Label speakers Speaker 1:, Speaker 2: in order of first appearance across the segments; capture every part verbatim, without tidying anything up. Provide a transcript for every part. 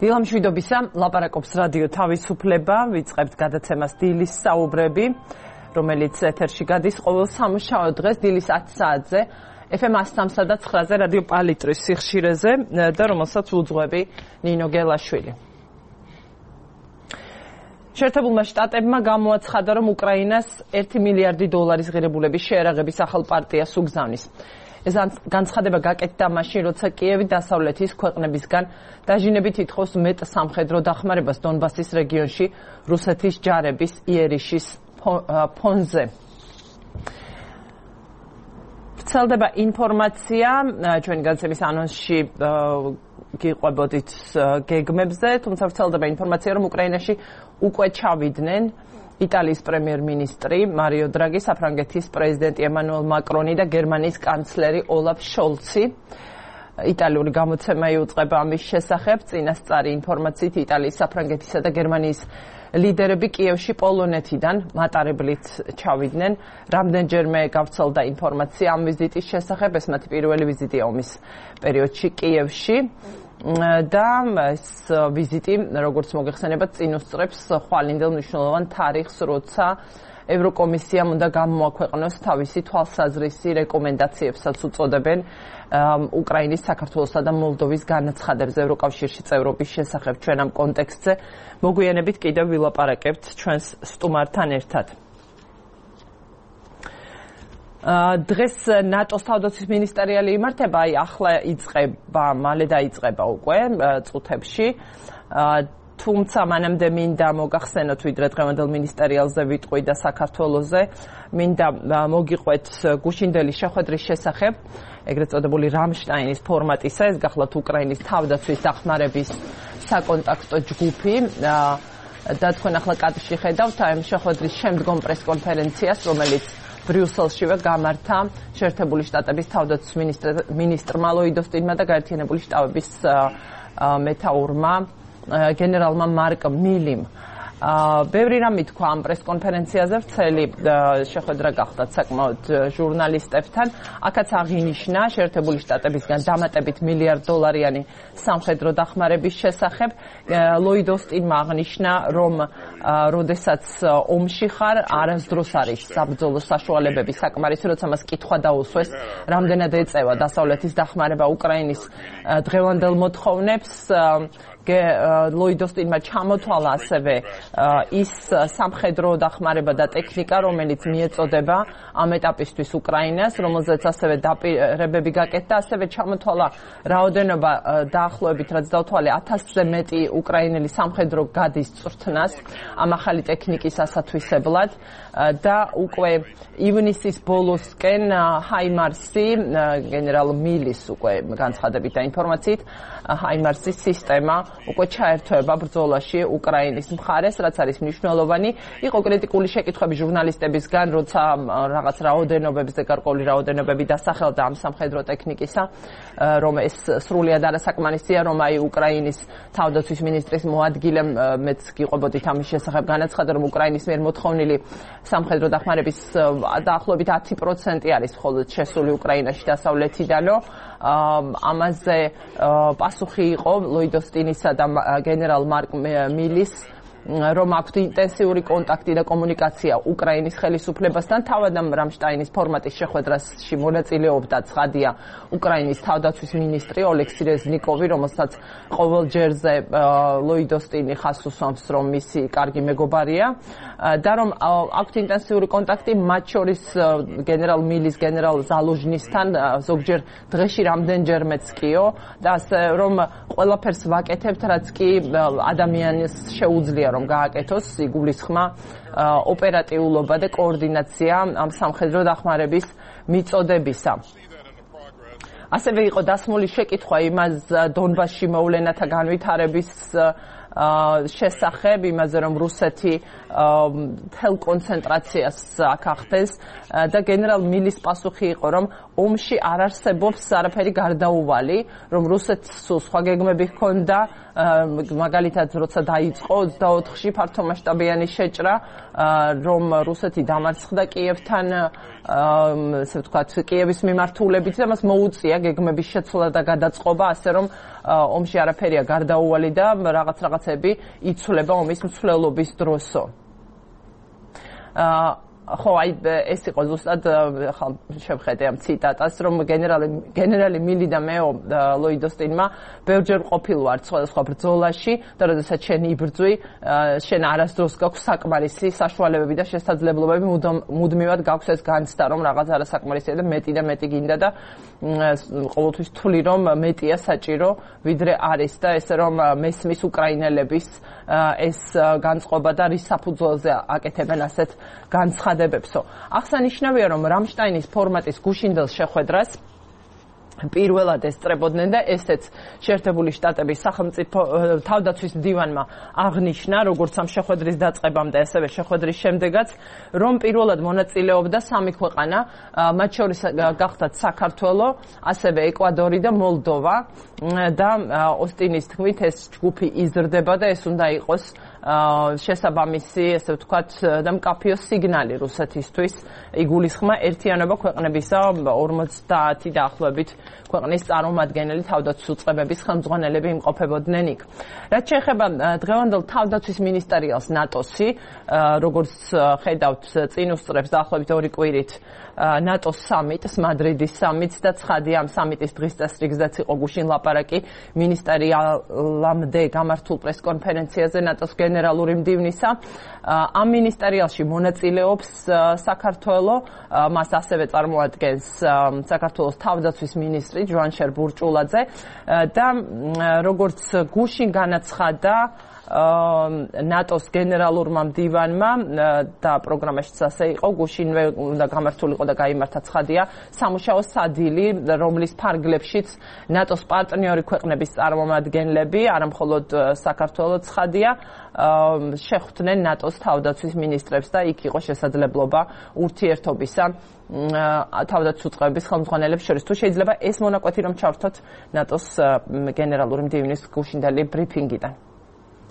Speaker 1: დილამშვიდობისა, ლაპარაკობს რადიო თავისუფლება, ვიწყებთ გადაცემას დილის საუბრები, რომელიც ეთერში გადის ყოველ სამუშაო დღეს დილის ათი საათზე, ეფ ემ one oh three და nine-ზე რადიო პალიტრის სიხშირეზე და რომელსაც უძღვები ნინო გელაშვილი. შეერთებულმა შტატებმა გამოაცხადა, რომ უკრაინას ერთი მილიარდი დოლარის ღირებულების შეერაღების ახალ პარტიას უგზავნის. ეს განცხადება გაკეთდა მაშინ, როცა კიევი დასავლეთის ქვეყნებისგან დაჟინებით ითხოვს მეტ სამხედრო დახმარებას დონბასის რეგიონში რუსეთის ჯარების იერიშის ფონზე. ვრცელდება ინფორმაცია ჩვენი განცემის ანონსში გიყვებოდით გეგმებზე, თუმცა ვრცელდება ინფორმაცია, რომ უკრაინაში უკვე ჩავიდნენ იტალიის პრემიერ-მინისტრი მარიო დრაგი, საფრანგეთის პრეზიდენტი ემანუელ მაკრონი და გერმანიის კანცლერი ოლაფ შოლცი. იტალიური გამოცემა იუწყება ამის შესახებ. წინასწარი ინფორმაციით იტალიის, საფრანგეთისა და გერმანიის ლიდერები კიევში პოლონეთიდან მატარებლით ჩავიდნენ. რამდენჯერმე გავრცელდა ინფორმაცია ამ ვიზიტის შესახებ. ეს მათი პირველი ვიზიტია ომის პერიოდში კიევში. და ეს ვიზიტი, როგორც მოგეხსენებათ, წინ უსწრებს ხვალინდელ მნიშვნელოვან თარიღს, როცა ევროკომისიამ უნდა გამოაქვეყნოს თავისი თვალსაზრისი რეკომენდაციებსაც უწოდებენ უკრაინის, საქართველოსა და მოლდოვის განაცხადებს ევროკავშირში წევრობის შესახებ. ჩვენ ამ კონტექსტზე მოგვიანებით კიდევ ვილაპარაკებთ ჩვენს სტუმართან ერთად. დღეს ნატოს თავდაცვის მინისტერიალი იმართება, აი ახლა იწყება, მალე დაიწყება უკვე წუთებში. თუმცა მანამდე მინდა მოგახსენოთ, ვიდრე დღევანდელ მინისტერიალზე ვიტყვი და საქართველოზე, მინდა მოგიყვეთ გუშინდელი შეხვედრის შესახებ, ეგრეთ წოდებული რამშტაინის ფორმატისა, ეს გახლავთ უკრაინის თავდაცვის დახმარების საკონტაქტო ჯგუფი. და თქვენ ახლა კადრში ხედავთ ამ შეხვედრის შემდგომ პრესკონფერენციას, რომელიც ბრიუსელშივე გამართა შეერთებული შტატების თავდაცვის მინისტრმა ლოიდ ოსტინმა და გაერთიანებული შტაბების მეთაურმა გენერალმა მარკ მილიმ. ბევრი რამ ითქვა ამ პრესკონფერენციაზე, ვრცელი შეხვედრა გახდათ საკმაოდ ჟურნალისტებთან. აქაც აღინიშნა შეერთებული შტატებისგან დამატებით მილიარდ დოლარიანი სამხედრო დახმარების შესახებ. ლოიდ ოსტინმა აღნიშნა, რომ როდესაც ომში ხარ, არასდროს არის საბრძოლო საშუალებები საკმარისი, როცა მას კითხვა დაუსვეს, რამდენად ეწევა დასავლეთის დახმარება უკრაინის დღევანდელ მოთხოვნებს. ლოიდ ოსტინმა ჩამოთვალა ასევე ის სამხედრო დახმარება და ტექნიკა, რომელიც მიეწოდება ამ ეტაპისთვის უკრაინას, რომელზეც ასევე დაპირებები გაკეთდა, ასევე ჩამოთვალა რაოდენობა დაახლოებით, რაც დავთვალე, ათასზე მეტი უკრაინელი სამხედრო გადის წვრთნას ამ ახალი ტექნიკის ასათვისებლად და უკვე ივნისის ბოლოსკენ ჰაიმარსი, გენერალ მილის უკვე განცხადებით და ინფორმაციით, ჰაიმარსის სისტემა უკვე ჩაერთვება ბრძოლაში უკრაინის მხარეს, რაც არის მნიშვნელოვანი. იყო კრიტიკული შეკითხვები ჟურნალისტებისგან, როცა რაღაც რაოდენობებზე, გარკვეული რაოდენობები დასახელდა ამ სამხედრო ტექნიკისა, რომ ეს სრულიად არასაკმარისია, რომ აი უკრაინის თავდაცვის მინისტრის მოადგილემ, მეც გიყვებოდით ამის შესახებ განაცხადა, რომ უკრაინის მიერ მოთხოვნილი სამხედრო დახმარების დაახლოებით ათი პროცენტი არის მხოლოდ შესული უკრაინაში დასავლეთიდანო. ამაზე პასუხი იყო ლოიდ ოსტინისა და გენერალ მარკ მილის, რომ აქვთ ინტენსიური კონტაქტი და კომუნიკაცია უკრაინის ხელისუფლებასთან. თავად ამ რამშტაინის ფორმატის შეხვედრაში მონაწილეობდა ცხადია უკრაინის თავდაცვის მინისტრი ოლექსი რეზნიკოვი, რომელსაც ყოველ ჯერზე ლოიდ ოსტინი ხაზს უსვამს, რომ მისი კარგი მეგობარია და რომ აქვთ ინტენსიური კონტაქტი მათ შორის გენერალ მილის, გენერალ ზალუჟნისთან, ზოგჯერ დღეში რამდენჯერმეც კიო და ასე რომ ყველაფერს ვაკეთებთ, რაც კი ადამიანის შეუძლია რომ გააკეთოს, იგულისხმა ოპერატიულობა და კოორდინაცია ამ სამხედრო დახმარების მიწოდებისა. ასევე იყო დასმული შეკითხვა იმას დონბასში მოვლენათა განვითარების შესახებ იმაზე რომ რუსეთი თელ კონცენტრაციას ახახდეს და გენერალ მილის პასუხი იყო რომ ომში არ არსებობს არაფერი გარდაუვალი რომ რუსეთს სხვა გეგმები ჰქონდა მაგალითად როცა დაიწყო ოცდაოთხში ფართომასშტაბიანი შეჭრა რომ რუსეთი დამარცხდა კიევთან ესე ვთქვათ კიევის მიმართულებით და მას მოუწია გეგმების შეცვლა და გადაწყობა ასე რომ ომში არაფერია გარდაუვალი და რაღაც რაღაცები იცვლება ომის მსვლელობის დროსო ხო აი ეს იყო ზუსტად ხა შევხედე ამ ციტატას რომ გენერალი გენერალი მილი და მეო ლოიდოსტინმა ბევრჯერ ყოფილვარ სხვადასხვა ბრძოლაში და როდესაც შენ იბრძვი შენ არასდროს გაქვს საკმარისი საშუალებები და შესაძლებლობები მუდმივად გაქვს ეს განცდა რომ რაღაც არასაკმარისია და მეტი და მეტი გინდა და ყოველთვის თვლი რომ მეტია საჭირო ვიდრე არის და ესე რომ მესმის უკრაინელების ეს განწყობა და რის საფუძველზე აკეთებენ ასეთ განცხადებებსო. აღსანიშნავია რომ რამშტაინის ფორმატის გუშინდელ შეხვედრას პირველად ესწრებოდნენ და ესეც შეერთებული შტატების სახელმწიფო თავდაცვის დივანმა აღნიშნა როგორც ამ შეხვედრის დაწყებამდე ასევე შეხვედრის შემდეგაც რომ პირველად მონაწილეობდა სამი ქვეყანა მათ შორის გახდათ საქართველო ასევე ეკვადორი და მოლდოვა და ოსტინის თქმით ეს ჯგუფი იზრდება და ეს უნდა იყოს შესაბამისი ესე ვთქვათ და მკაფიო სიგნალი რუსეთისთვის იგულისხმა ერთიანობა ქვეყნებისა ორმოცდაათი დაახლოებით ქვეყნის წარმომადგენელი თავდაცვის უწყებების ხელმძღვანელები იმყოფებოდნენ იქ. რაც შეეხება დღევანდელ თავდაცვის მინისტერიალს ნატოსი, როგორც ხედავთ წინ უსწრებს დაახლოებით ორი კვირით ნატოს სამიტს, მადრიდის სამიტს და ცხადია ამ სამიტის დღის წესრიგზეც იყო გუშინ ლაპარაკი მინისტერიალამდე გამართულ პრესკონფერენციაზე ნატოს გენერალური მდივნისა. ამ მინისტერიალში მონაწილეობს საქართველო, მას ასევე წარმოადგენს საქართველოს თავდაცვის მინისტრი ჯვანშერ ბურჭულაძე და როგორც გუშინ განაცხადა ნატოს გენერალურმა მდივანმა და პროგრამაშიც ასე იყო გუშინვე უნდა გამართულიყო და გაიმართა ცხადია სამუშაო სადილი რომლის ფარგლებშიც ნატოს პარტნიორი ქვეყნების წარმომადგენლები არამხოლოდ საქართველოს ცხადია შეხვდნენ ნატოს თავდაცვის მინისტრებს და იქ იყო შესაძლებლობა ურთიერთობისა თავდაცვის უწყებების ხელმძღვანელებს შორის თუ შეიძლება ეს მონაკვეთი რომ ჩავრთოთ ნატოს გენერალური მდივნის გუშინდელი ბრიფინგიდან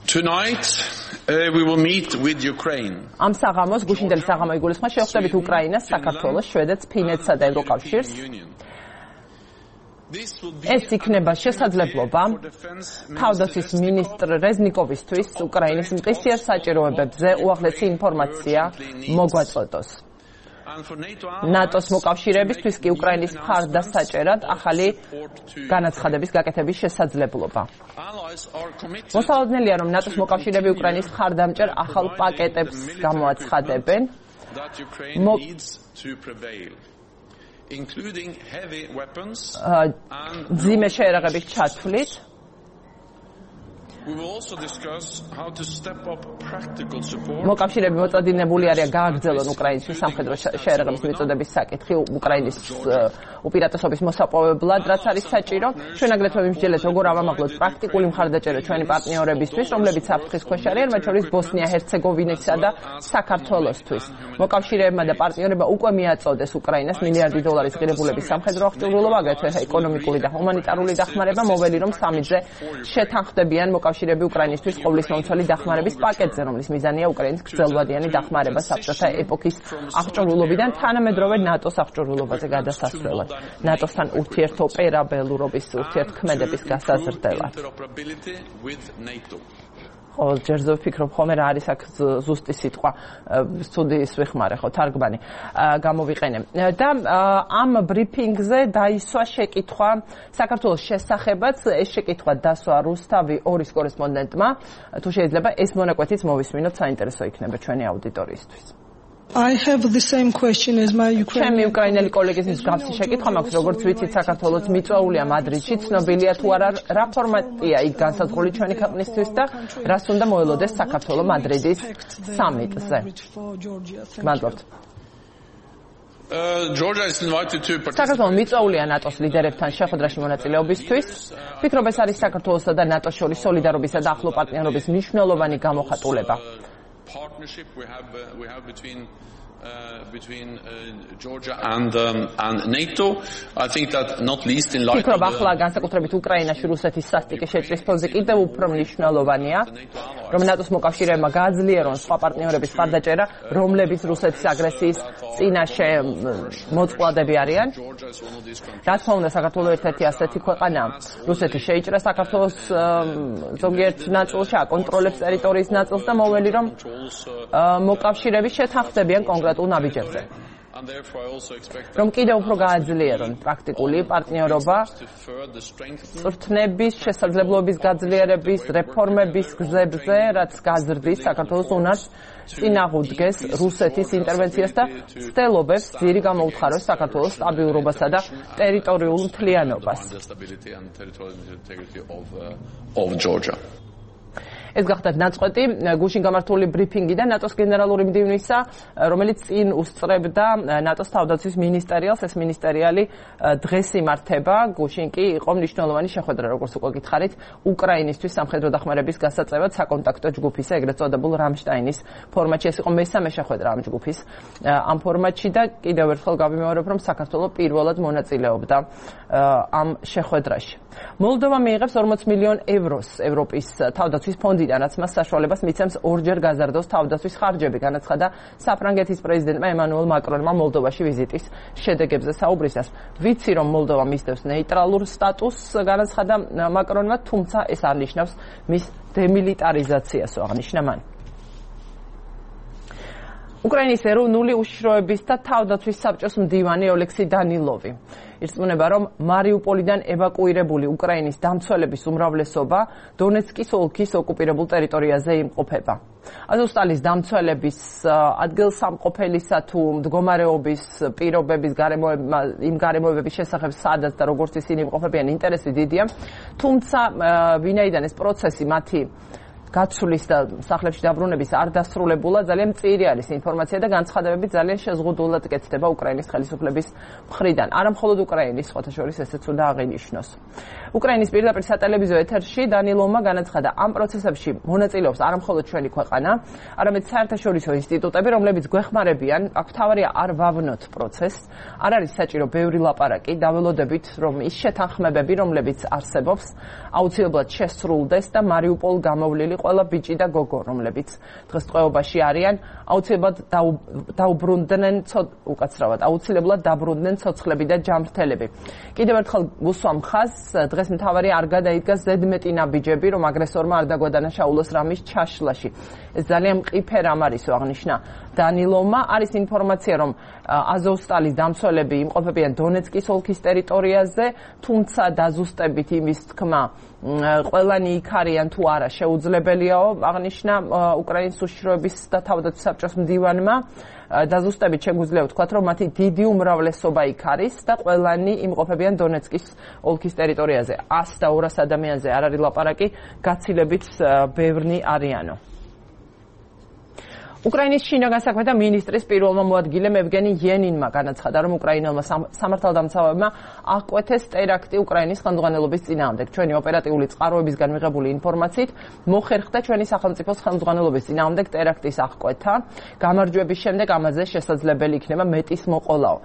Speaker 2: Tonight uh, we will meet with Ukraine.
Speaker 1: Am საღამოს გუშინდელი საღამო იგულისხმება შევხვდებით უკრაინას, საქართველოს, შვედეთს, ფინეთსა და ევროკავშირს. ეს იქნება შესაძლებლობა თავდაცვის მინისტრ რეზნიკოვისთვის უკრაინის მყისიერ საჭიროებებზე უაღრესი ინფორმაცია მოგვაწოდოს. ნატოს მოკავშირეებისთვის კი უკრაინის მხარდასაჭერად ახალი განაცხადების გაკეთების შესაძლებლობა. მოსალოდნელია, რომ ნატოს მოკავშირეები უკრაინის მხარდამჭერ ახალ პაკეტებს გამოაცხადებენ. ძიმე შეერაღების ჩათვლით მოკავშირეები მოწოდინებული არიან გააგრძელონ უკრაინის სამხედრო შეერაღების მიწოდების საკითხი უკრაინის უპირატესობის მოსაპოვებლად, რაც არის საჭირო. ჩვენ აგრეთვე ვიმსჯელეთ, როგორ ავამაღლოთ პრაქტიკული მხარდაჭერა ჩვენი პარტნიორებისთვის, რომლებიც საფრთხის ქვეშ არიან, მათ შორის ბოსნია-ჰერცეგოვინისა და საქართველოსთვის. მოკავშირეებმა და პარტნიორებმა უკვე მიაწოდეს უკრაინას მილიარდი დოლარის ღირებულების სამხედრო აღჭურვილობა, აგრეთვე ეკონომიკური და ჰუმანიტარული დახმარება, მოველი რომ სამიტზე შეთანხმდებიან მოკავშირეები უკრაინისთვის ყოვლის მომცველი დახმარების პაკეტზე, რომლის მიზანია უკრაინის გრძელვადიანი დახმარება საბჭოთა ეპოქის აღჭურვილობიდან თანამედროვე ნატოს აღჭურვილობაზე გადასასვლელად. ნატოსთან ურთიერთოპერაბელურობის ურთიერთქმედების გასაზრდელად. ხო, ჯერზე ვფიქრობ ხოლმე რა არის აქ ზუსტი სიტყვა სტუდიის ვიხმარე ხო თარგმანი გამოვიყენე და ამ ბრიფინგზე დაისვა შეკითხვა საქართველოს შესახებაც ეს შეკითხვა დასვა რუსთავი ორის კორესპონდენტმა თუ შეიძლება ეს მონაკვეთიც მოვისმინოთ საინტერესო იქნება ჩვენი აუდიტორიისთვის
Speaker 3: I have the same question as my Ukrainian.
Speaker 1: ჩემი უკრაინელი კოლეგის მსგავსი შეკითხვა მაქვს, როგორც ვიცით, საქართველოს მიწვეულია მადრიდში, ცნობილია თუ არა რა ფორმატია იქ განსაზღვრული ჩვენი ქვეყნისთვის და რას უნდა მოელოდეს საქართველოს მადრიდის სამიტზე. მადლობთ. საქართველოს მიწვეულია ნატოს ლიდერებთან შეხვედრაში მონაწილეობისთვის. ფიქრობ, ეს არის საქართველოსა და ნატოს შორის სოლიდარობისა და ახლო პარტნიორობის მნიშვნელოვანი გამოხატულება.
Speaker 2: Partnership we have uh, we have between uh, between uh, Georgia and um, and NATO. I think that not least in light
Speaker 1: of ახლა განსაკუთრებით უკრაინაში რუსეთის სასტიკი შეჭრის ფონზე კიდევ უფრო მნიშვნელოვანია, რომ ნატოს მოკავშირეებმა გააძლიერონ სხვა პარტნიორების მხარდაჭერა, რომლებიც რუსეთის აგრესიის წინაშე მოწყვლადები არიან. რა თქმა უნდა, საქართველოს ერთ-ერთი ასეთი ქვეყანაა. რუსეთი შეიჭრა საქართველოს ზოგიერთ ნაწილში, აკონტროლებს ტერიტორიის ნაწილს და მოვლენი რომ მოკავშირეები შეთანხმდებიან კონკრეტულ ნაბიჯებზე. რომ კიდევ უფრო გააძლიერონ პრაქტიკული პარტნიორობა, წვრთნების, შესაძლებლობის გაძლიერების, რეფორმების გზებზე, რაც გაზრდის საქართველოს უნარს წინააღმდეგეს რუსეთის ინტერვენციას და ცდილობებს ძირი გამოუთხაროს საქართველოს სტაბილურობასა და ტერიტორიულ მთლიანობას. ეს გახდათ ნაწყვეტი გუშინ გამართული ბრიფინგიდან ნატოს გენერალური მდივნისა, რომელიც წინ უსწრებდა ნატოს თავდაცვის მინისტერიალს. ეს მინისტერიალი დღეს იმართება. გუშინ კი იყო მნიშვნელოვანი შეხვედრა, როგორც უკვე გითხარით, უკრაინისთვის სამხედრო დახმარების გასაწევად საკონტაქტო ჯგუფის, ეგრეთ წოდებულ რამშტაინის ფორმატში. ეს იყო მესამე შეხვედრა ამ ჯგუფის ამ ფორმატში და კიდევ ერთხელ გავიმეორებ, რომ საქართველო პირველად მონაწილეობდა ამ შეხვედრაში. მოლდოვა მიიღებს ორმოც მილიონ ევროს ევროპის თავდაცვის ფონდიდან, რაც მას საშუალებას მიცემს ორჯერ გაზარდოს თავდაცვის ხარჯები, განაცხადა საფრანგეთის პრეზიდენტმა ემანუელ მაკრონმა მოლდოვაში ვიზიტის შედეგებზე საუბრისას. ვიცი, რომ მოლდოვა მისდევს ნეიტრალურ სტატუსს, განაცხადა მაკრონმა, თუმცა ეს არ ნიშნავს მის დემილიტარიზაციას, აღნიშნა მან. უკრაინის ეროვნული უშიშროების და თავდაცვის საბჭოს მდივანი ოლექსი დანილოვი ირწმუნება, რომ მარიუპოლიდან ევაკუირებული უკრაინის დამცველების უმრავლესობა დონეცკის ოლქის ოკუპირებულ ტერიტორიაზე იმყოფება. აზოვსტალის დამცველების ადგილსამყოფელისა თუ მდგომარეობის პირობების იმ გარემოებების შესახებ სადაც და როგორც ისინი იმყოფებიან ინტერესი დიდია, თუმცა ვინაიდან ეს პროცესი მათი გაცვლის და სახლებში დაბრუნების არ დასრულებულა, ძალიან მწირი არის ინფორმაცია და განცხადებები ძალიან შეზღუდულად კეთდება უკრაინის ხელისუფლების მხრიდან. არა მხოლოდ უკრაინის, სხვათა შორის ესეც უნდა აღინიშნოს. უკრაინის პირდაპირ სატელევიზიო ეთერში დანილოვმა განაცხადა, ამ პროცესებში მონაწილეობს არა მხოლოდ ჩვენი ქვეყანა, არამედ საერთაშორისო ინსტიტუტები, რომლებიც გვეხმარებიან, აქ თავარია არ ვავნოთ პროცესს, არ არის საჭირო ბევრი ლაპარაკი, დაველოდებით, რომ ის შეთანხმებები, რომლებიც არსებობს, აუცილებლად შესრულდეს და მარიუპოლ გამოვლილი ყველა ბიჭი და გოგო, რომლებიც დღეს ტყვეობაში არიან, აუცილებლად დაუბრუნდნენ უკაცრავად, აუცილებლად დაბრუნდნენ ცოცხლები და ჯანმრთელები. კიდევ ერთხელ გუსვამ ხაზს, დღეს მთავარი არ გადაიდგა ზედმეტი ნაბიჯები, რომ აგრესორმა არ დაგვადანაშაულოს რამის ჩაშლაში. ეს ძალიან მყიფე რამ არისო, აღნიშნა დანილოვმა. არის ინფორმაცია, რომ აზოვსტალის დამცველები იმყოფებიან დონეცკის ოლქის ტერიტორიაზე, თუმცა დაზუსტებით იმის თქმა ყველანი იქ არიან თუ არა შეუძლებელიაო, აღნიშნა უკრაინის უშიშროების და თავდაცვის საბჭოს მდივანმა. დაზუსტებით შეგვიძლია ვთქვათ, რომ მათი დიდი უმრავლესობა იქ არის და ყველანი იმყოფებიან დონეცკის ოლქის ტერიტორიაზე. ას და ორას ადამიანზე არ არის ლაპარაკი, გაცილებით ბევრნი არიანო. უკრაინის შინაგან საქმეთა მინისტრის პირველმა მოადგილემ ევგენი იენინმა განაცხადა, რომ უკრაინელმა სამართალდამცავებმა აღკვეთეს ტერაქტი უკრაინის ხელმძღვანელობის წინააღმდეგ. ჩვენი ოპერატიული წყაროებისგან მიღებული ინფორმაციით მოხერხდა ჩვენი სახელმწიფოს ხელმძღვანელობის წინააღმდეგ ტერაქტის აღკვეთა. გამარჯვების შემდეგ ამაზე შესაძლებელი იქნება მეტის მოყოლაო.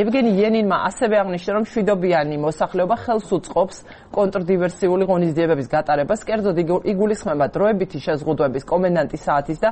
Speaker 1: ევგენი იენინმა ასევე აღნიშნა, რომ მშვიდობიანი მოსახლეობა ხელს უწყობს კონტრდივერსიული ღონისძიებების გატარებას, კერძოდ იგულისხმება დროებითი შეზღუდვების კომენდანტის საათის და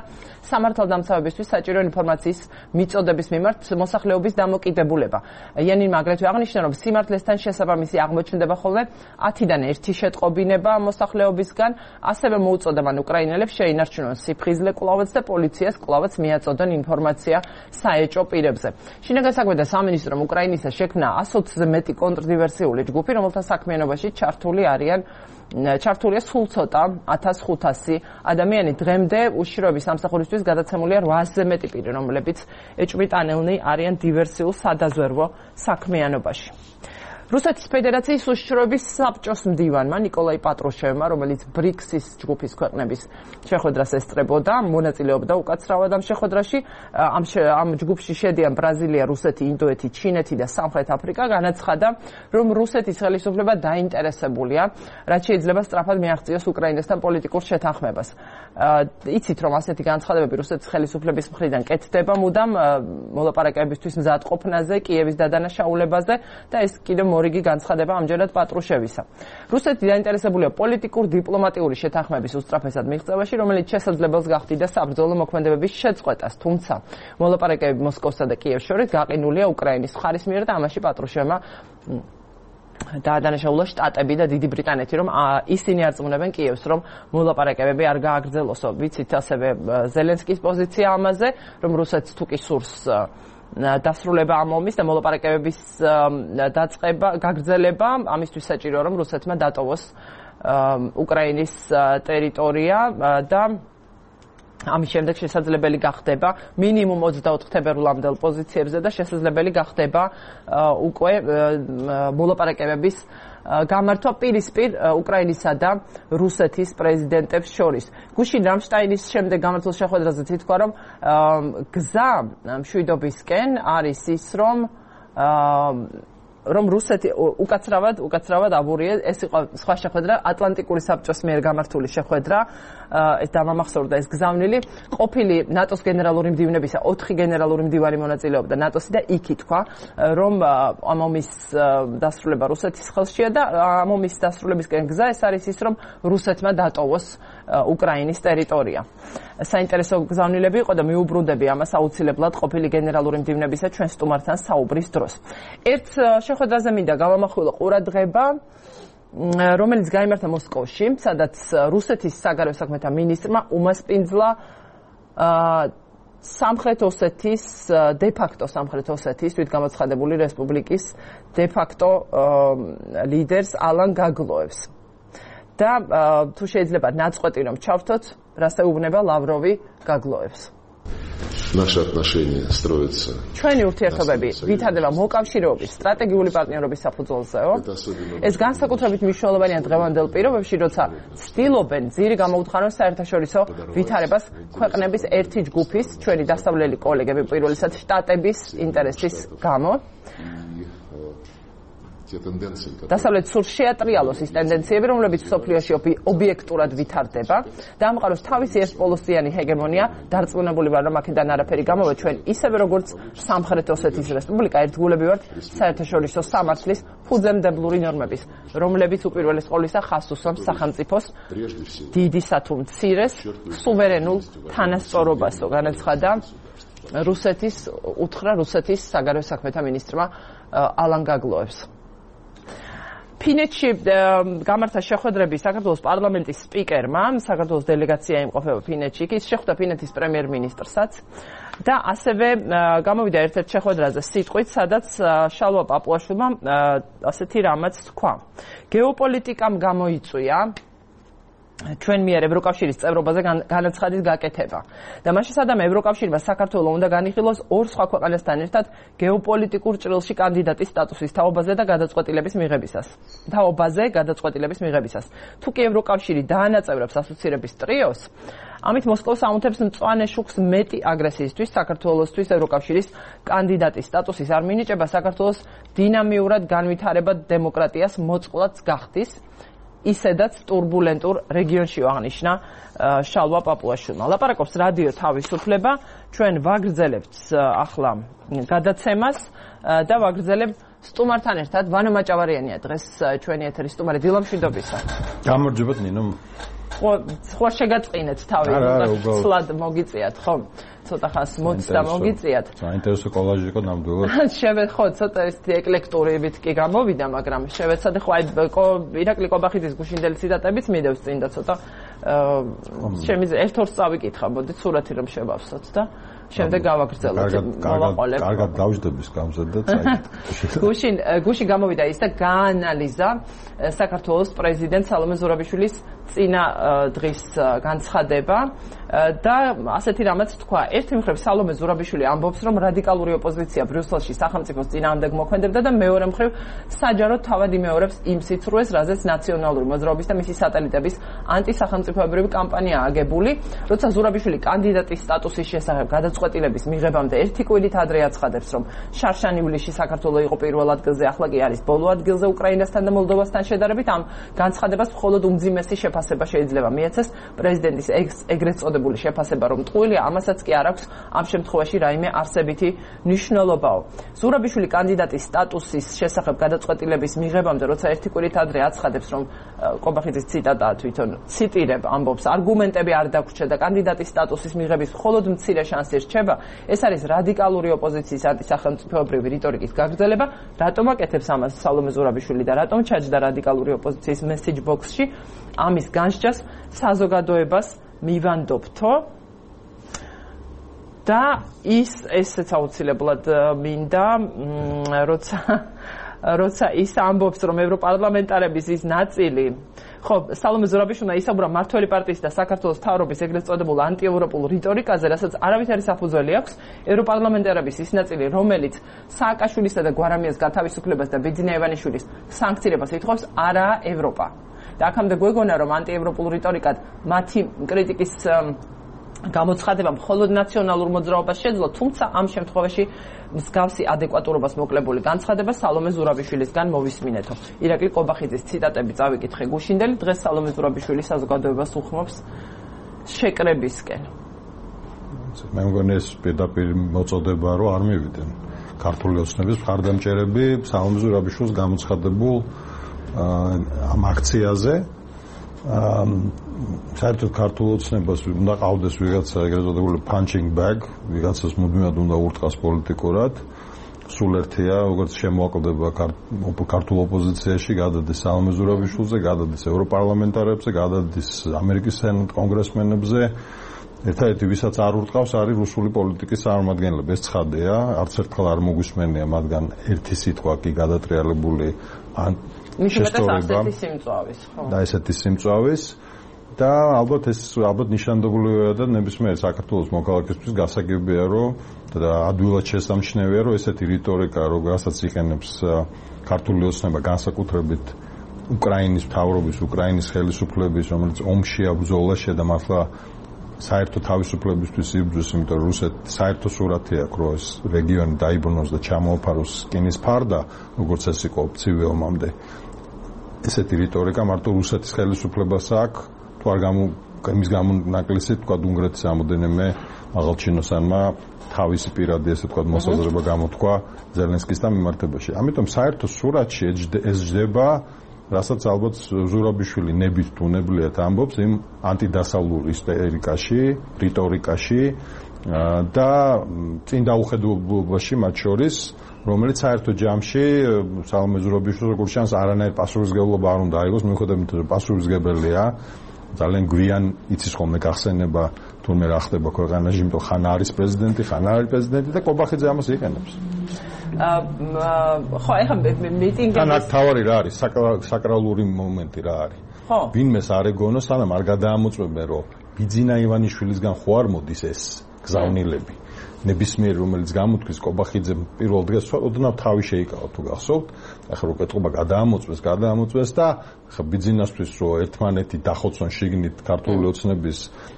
Speaker 1: სამართალდამცავებისთვის საჭირო ინფორმაციის მიწოდების მიმართ მოსახლეობის დამოკიდებულება. იენინმა აგრეთვე აღნიშნა, რომ სიმართლესთან შესაბამისი აღმოჩნდება ხოლმე ათიდან ერთი შეტყობინება მოსახლეობისგან, ასევე მოუწოდა მან უკრაინელებს შეინარჩუნონ სიფხიზლე კვლავაც და პოლიციას კვლავაც მიაწოდონ ინფორმაცია საეჭვო პირებზე. შინაგან საქმეთა სამინისტრომ უკრაინისა შექმნა ათზე მეტი კონტრდივერსიული ჯგუფი, რომელთა საქმიანობაში ჩართული არიან ჩართულია სულ ცოტა ათას ხუთასი ადამიანი. დღემდე უშიშროების სამსახურისთვის გადაცემულია რვაზე მეტი პირი, რომლებიც ეჭვმიტანილნი არიან დივერსიულ სადაზვერვო საქმიანობაში. რუსეთის ფედერაციის უშიშროების საბჭოს მდივანმა ნიკოლაი პატრუშევმა, რომელიც ბრიქსის ჯგუფის ქვეყნების შეხვედრას ესწრებოდა, მონაწილეობდა უკაცრავად ამ შეხვედრაში. ამ ამ ჯგუფში შედიან ბრაზილია, რუსეთი, ინდოეთი, ჩინეთი და სამხრეთ აფრიკა. განაცხადა, რომ რუსეთის ხელისუფლება დაინტერესებულია, რაც შეიძლება სწრაფად მიაღწიოს უკრაინასთან პოლიტიკურ შეთანხმებას. იცით, რომ ასეთი განცხადებები რუსეთის ხელისუფლების მხრიდან კეთდება მუდამ მოლაპარაკებებისთვის მზადყოფნაზე, კიევის დადანაშაულებაზე და ეს კიდევ მორიგი განცხადება ამჯერად პატრუშევისა. რუსეთი დაინტერესებულია პოლიტიკურ დიპლომატიური შეთანხმების უსწრაფესად მიღწევაში, რომელიც შესაძლებელს გახდიდა საბრძოლო მოქმედებების შეწყვეტას, თუმცა მოლაპარაკებები მოსკოვსა და კიევს შორის გაყინულია უკრაინის მხარის მიერ და ამაში პატრუშევმა დაადანაშაულა შტატები და დიდი ბრიტანეთი, რომ ისინი არწმუნებენ კიევს, რომ მოლაპარაკებები არ გააგრძელოსო. ვიცით ასევე ზელენსკის პოზიცია ამაზე, რომ რუსეთს თუ კი სურს დასრულება ამ ომის და მოლაპარაკებების დაწყება, გაგრძელება, ამისთვის საჭიროა, რომ რუსეთმა დატოვოს უკრაინის ტერიტორია და ამის შემდეგ შესაძლებელი გახდება მინიმუმ ოცდაოთხ თებერვლამდელ პოზიციებზე და შესაძლებელი გახდება უკვე მოლაპარაკებების გამართვა პირისპირ უკრაინისა და რუსეთის პრეზიდენტებს შორის. გუშინ რამშტაინის შემდეგ გამართულ შეხვედრაზე ითქვა, რომ გზა მშვიდობისკენ არის ის, რომ რომ რუსეთი უკაცრავად უკაცრავად აბურია. ეს იყო სხვა შეხვედრა, ატლანტიკური საბჭოს მიერ გამართული შეხვედრა. ეს დამამახსოვრდა ეს გზავნილი. ყოფილი ნატოს გენერალური მდივნებისა ოთხი გენერალური მდივანი მონაწილეობდა ნატოსი და იქ ითქვა, რომ ამ ომის დასრულება რუსეთის ხელშია და ამ ომის დასრულებისკენ გზა ეს არის ის, რომ რუსეთმა დატოვოს უკრაინის ტერიტორია. საინტერესო გზავნილები იყო და მიუბრუნდები ამას აუცილებლად ყოფილი გენერალური მდივნებისა ჩვენ სტუმართან საუბრის დროს. ერთ შეხვედრაზე მინდა გავამახვილო ყურადღება, რომელიც გაიმართა მოსკოვში, სადაც რუსეთის საგარეო საქმეთა მინისტრმა უმასპინძლა სამხრეთ ოსეთის, დე-ფაქტო სამხრეთ ოსეთის თვითგამოცხადებული რესპუბლიკის დე-ფაქტო ლიდერს ალან გაგლოევს. და თუ შეიძლება ნაწყვეტი რომ ჩავთოთ, რას ეუბნება ლავროვი გაგლოევს.
Speaker 4: Наши отношения строятся.
Speaker 1: ჩვენი ურთიერთობები ვითარდება მოკავშირეობის, სტრატეგიული პარტნიორობის საფუძველზეო. ეს განსაკუთრებით მნიშვნელოვანია დღევანდელ პირობებში, როცა ცდილობენ ძირი გამოუთხარონ საერთაშორისო ვითარებას ქვეყნების ერთი ჯგუფის, ჩვენი დასავლელი კოლეგები, პირველისად შტატების ინტერესის გამო. დასავლეთ სურს შეატრიალოს ის ტენდენციები, რომლებიც მსოფლიოში ობიექტურად ვითარდება და ამყაროს თავისი ერთპოლოსიანი ჰეგემონია. დარწმუნებული ვარ, რომ აქედან არაფერი გამოვა. ჩვენ ისევე როგორც სამხრეთ ოსეთის რესპუბლიკა ერთგულები ვართ საერთაშორისო სამართლის ფუძემდებლური ნორმების, რომლებიც უპირველეს ყოვლისა ხაზს უსვამს სახელმწიფოს დიდისა თუ მცირეს სუვერენულ თანასწორობასო. განაცხადა რუსეთის უთხრა რუსეთის საგარეო საქმეთა მინისტრმა ალან გაგლოევს. ფინეთში გამართა შეხვედრები საქართველოს პარლამენტის სპიკერმა, საქართველოს დელეგაცია იმყოფება ფინეთში, ის შეხვდა ფინეთის პრემიერ-მინისტრსაც და ასევე გამოვიდა ერთ-ერთ შეხვედრაზე სიტყვით, სადაც შალვა პაპუაშვილმა ასეთი რამაც თქვა. გეოპოლიტიკამ გამოიწვია ჩვენ მიერ ევროკავშირის წევრობაზე განაცხადის გაკეთება. და მაშინ სადამ ევროკავშირმა საქართველოს უნდა განიხილოს ორ სხვა ქვეყანასთან ერთად გეოპოლიტიკურ ჭრილში კანდიდატის სტატუსის თაობაზე და გადაწყვეტილების მიღებისას. თაობაზე გადაწყვეტილების მიღებისას. თუ კი ევროკავშირი დაანაწევრებს ასოცირების ტრიოს, ამით მოსკოვს აუნთებს მწვანე შუქს მეტი აგრესიისთვის საქართველოსთვის ევროკავშირის კანდიდატის სტატუსის არ მინიჭება საქართველოს დინამიურად განვითარებად დემოკრატიას მოწყვლად გახდის. ისედაც турბულენტურ რეგიონში აღნიშნა შალვა პაპუაშვილმა. ლაპარაკობს რადიო თავისუფლება, ჩვენ ვაგრძელებთ ახლა გადაცემას და ვაგრძელებ სტუმართან ერთად. ვანო მაჭავარიანია დღეს ჩვენი ეთერის სტუმარი. დილო მშვიდობისა.
Speaker 5: გამარჯობათ ნინო.
Speaker 1: ხო შეგაწყინეთ თავი, ცოტა მოგიწიათ, ხო? ცოტა ხანს მოწდა მოგიწიათ.
Speaker 5: საინტერესო კოლაჟი იყო ნამდვილად.
Speaker 1: შევედ ხო, ცოტა ესეთი ეკლექტურებით კი გამოვიდა, მაგრამ შევეცადე ხო აი ირაკლი კობახიძის გუშინდელი ციტატებიც მიდევს წინ და ცოტა შემიძლია ერთ-ორს წავიკითხა, მოდით სურათი რომ შევავსოთ და შემდეგ გავაგრძელოთ მოვაყოლებ.
Speaker 5: კარგად გავждების გამზად და წაიგეთ.
Speaker 1: გუშინ გუშინ გამოვიდა ის და გაანალიზა საქართველოს პრეზიდენტ სალომე ზურაბიშვილის წინა დღის განცხადება და ასეთი რამაც თქვა. ერთი მხრივ სალომე ზურაბიშვილი ამბობს, რომ რადიკალური ოპოზიცია ბრიუსელში სახელმწიფოს წინააღმდეგ მოქმედებდა და მეორე მხრივ საჯაროდ თავად იმეორებს იმ სიცრუეს, რაზეც ნაციონალური მოძრაობის და მისი სატელიტების ანტისახელმწიფოებრივი კამპანია აგებული. როცა ზურაბიშვილი კანდიდატის სტატუსის შესახებ გადაწყვეტილების მიღებამდე ერთი კვირით ადრე აცხადებს, რომ შარშან ივლისში საქართველო იყო პირველ ადგილზე, ახლა კი არის ბოლო ადგილზე უკრაინასთან და მოლდოვასთან შედარებით, ამ განცხადებას მხოლოდ უმძიმესი შეფასება შეიძლება მიეცეს პრეზიდენტის ეგრეთ წოდებული შეფასება, რომ ტყუილია, ამასაც კი არ აქვს ამ შემთხვევაში რაიმე არსებითი მნიშვნელობაო. ზურაბიშვილი კანდიდატის სტატუსის შესახებ გადაწყვეტილების მიღებამდე, როცა ერთი კვირით ადრე აცხადებს, რომ ყობახიძის ციტატაა თვითონ ციტირებ, ამბობს, არგუმენტები არ დაგვრჩა და კანდიდატის სტატუსის მიღების მხოლოდ მცირე შანსი რჩება, ეს არის რადიკალური ოპოზიციის ანტისახელმწიფოებრივი რიტორიკის გაგრძელება. რატომ აკეთებს ამას სალომე ზურაბიშვილი და რატომ ჩაჯდა რადიკალური ოპოზიციის მესეჯ ბოქსში? ამის განსჯას საზოგადოებას მივანდობთო და ის ესეც აუცილებლად მინდა, როცა როცა ის ამბობს, რომ ევროპარლამენტარების ის ნაწილი, ხო, სალომე ზურაბიშვილმა ისაუბრა მართველი პარტიის და საქართველოს მთავრობის ეგრეთ წოდებულ ანტიევროპულ რიტორიკაზე, რასაც არავითარი საფუძველი აქვს. ევროპარლამენტარების ის ნაწილი, რომელიც სააკაშვილისა და გვარამიას გათავისუფლებას და ბიძინა ივანიშვილის სანქცირებას ითხოვს, არაა ევროპა. და აქამდე გვეგონა, რომ ანტიევროპულ რიტორიკად მათი კრიტიკის გამოცხადება მხოლოდ ნაციონალურ მოძრაობას შეძლო, თუმცა ამ შემთხვევაში მსგავსი ადეკვატურობას მოკლებული განცხადება სალომე ზურაბიშვილისგან მოვისმინეთო. ირაკლი ყობახიძის ციტატები წავიკითხე გუშინდელი, დღეს სალომე ზურაბიშვილი საზოგადოებას უხმობს შეკრებისკენ.
Speaker 5: მე მგონი ეს პირდაპირ მოწოდება, რომ არ მივიდნენ ქართული ოცნების მხარდამჭერები სალომე ზურაბიშვილს გამოცხადებულ ამ აქციაზე. საერთოდ ქართულ ოცნებას უნდა ყავდეს ვიღაცა ეგრეთ წოდებული punching bag, ვიღაცას მუდმივად უნდა ურტყას პოლიტიკურად. სულ ერთია, როგორც შემოაკლდება ქართულ ოპოზიციაში, გადადის სალომე ზურაბიშვილზე, გადადის ევროპარლამენტარებზე, გადადის ამერიკის სენატ კონგრესმენებზე. ერთადერთი ვისაც არ ურტყავს არის რუსული პოლიტიკის წარმომადგენლები. ეს ცხადია, არც ერთხელ არ მოგვისმენია მათგან ერთი სიტყვა კი გადატრიალებული ან
Speaker 1: შესწორება
Speaker 5: და ესეთი სიმწვავის და ალბათ ეს ალბათ ნიშანდობლივია და ნებისმიერ საქართველოს მოქალაქისთვის გასაგებია, რომ და ადვილად შესამჩნევია, რომ ესეთი რიტორიკა, როგორცაც იყენებს ქართული ოცნება განსაკუთრებით უკრაინის მთავრობის, უკრაინის ხელისუფლების, რომელიც ომშია ბრძოლაში და მართლა საერთო თავისუფლებისთვის იბრძვის, იმიტომ რომ რუსეთი საერთო სურათი აქვს, რომ ეს რეგიონი დაიბრუნოს და ჩამოაფაროს რკინის ფარდა, როგორც ეს იყო ცივი ომამდე. ესეთი რიტორიკა მარტო რუსეთის ხელისუფლებას აქვს, თუ არ გამო იმის გამონაკლისით, თქვა უნგრეთის ამოდენიმე აღალჩინოსანმა თავისი პირადი ესე თქვა მოსაზრება გამოთქვა ზელენსკისთან მიმართებაში. ამიტომ საერთო სურათში ეს ჯდება, რასაც ალბათ ზურაბიშვილი ნებით უნებლიეთ ამბობს იმ ანტიდასავლურ ისტერიკაში, რიტორიკაში და წინ დაუხედულებაში მათ შორის, რომელიც საერთო ჯამში სალომე ზურაბიშვილს როგორც ჩანს არანაირ პასუხისმგებლობა არ უნდა აიღოს, მიუხედავად იმისა, რომ პასუხისმგებელია. ძალიან გვიან იცის ხოლმე გახსენება თურმე რა ხდება ქვეყანაში, იმიტომ ხან არის პრეზიდენტი, ხან არ არის პრეზიდენტი და ყობახიძე ამას იყენებს.
Speaker 1: ხო, ეხლა მიტინგები
Speaker 5: თან აქ თავარი რა არის, საკრალური მომენტი რა არის. ხო. ვინმეს არ ეგონოს, სანამ არ გადაამოწმებენ, რომ ბიძინა ივანიშვილისგან ხო არ მოდის ეს გზავნილები. ნებისმიერ რომელიც გამოთქვის ყობახიძე პირველ დღეს ოდნავ თავი შეიკავა თუ გახსოვთ. ახლა რო კეთობა გადაამოწმეს, გადაამოწმეს და ახლა ბიძინასთვის რო ერთმანეთი დახოცონ შიგნით ქართული ოცნების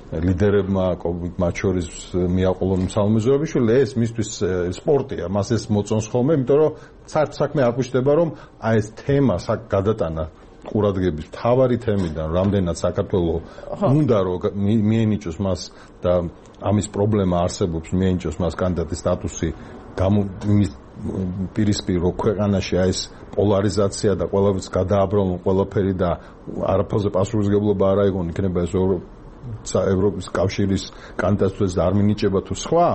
Speaker 5: ლიდერებმა, მათ შორის მიაყოლონ სალომე ზურაბიშვილი, ეს მისთვის სპორტია, მას ეს მოწონს ხოლმე, იმიტომ რომ საერთო საქმე აკვიშდება, რომ აი ეს თემა გადატანა ყურადღების მთავარი თემიდან, რამდენად საქართველოს უნდა რომ მიენიჭოს მას და ამის პრობლემა არსებობს, მიენიჭოს მას კანდიდატის სტატუსი, იმის პირისპირ რო ქვეყანაში აი ეს პოლარიზაცია და ყველაფერს გადააბრალონ ყველაფერი და არაფერზე პასუხისმგებლობა არ აიღონ, იქნება ეს ევროპის კავშირის კანდიდატურას არ მინიჭება თუ სხვა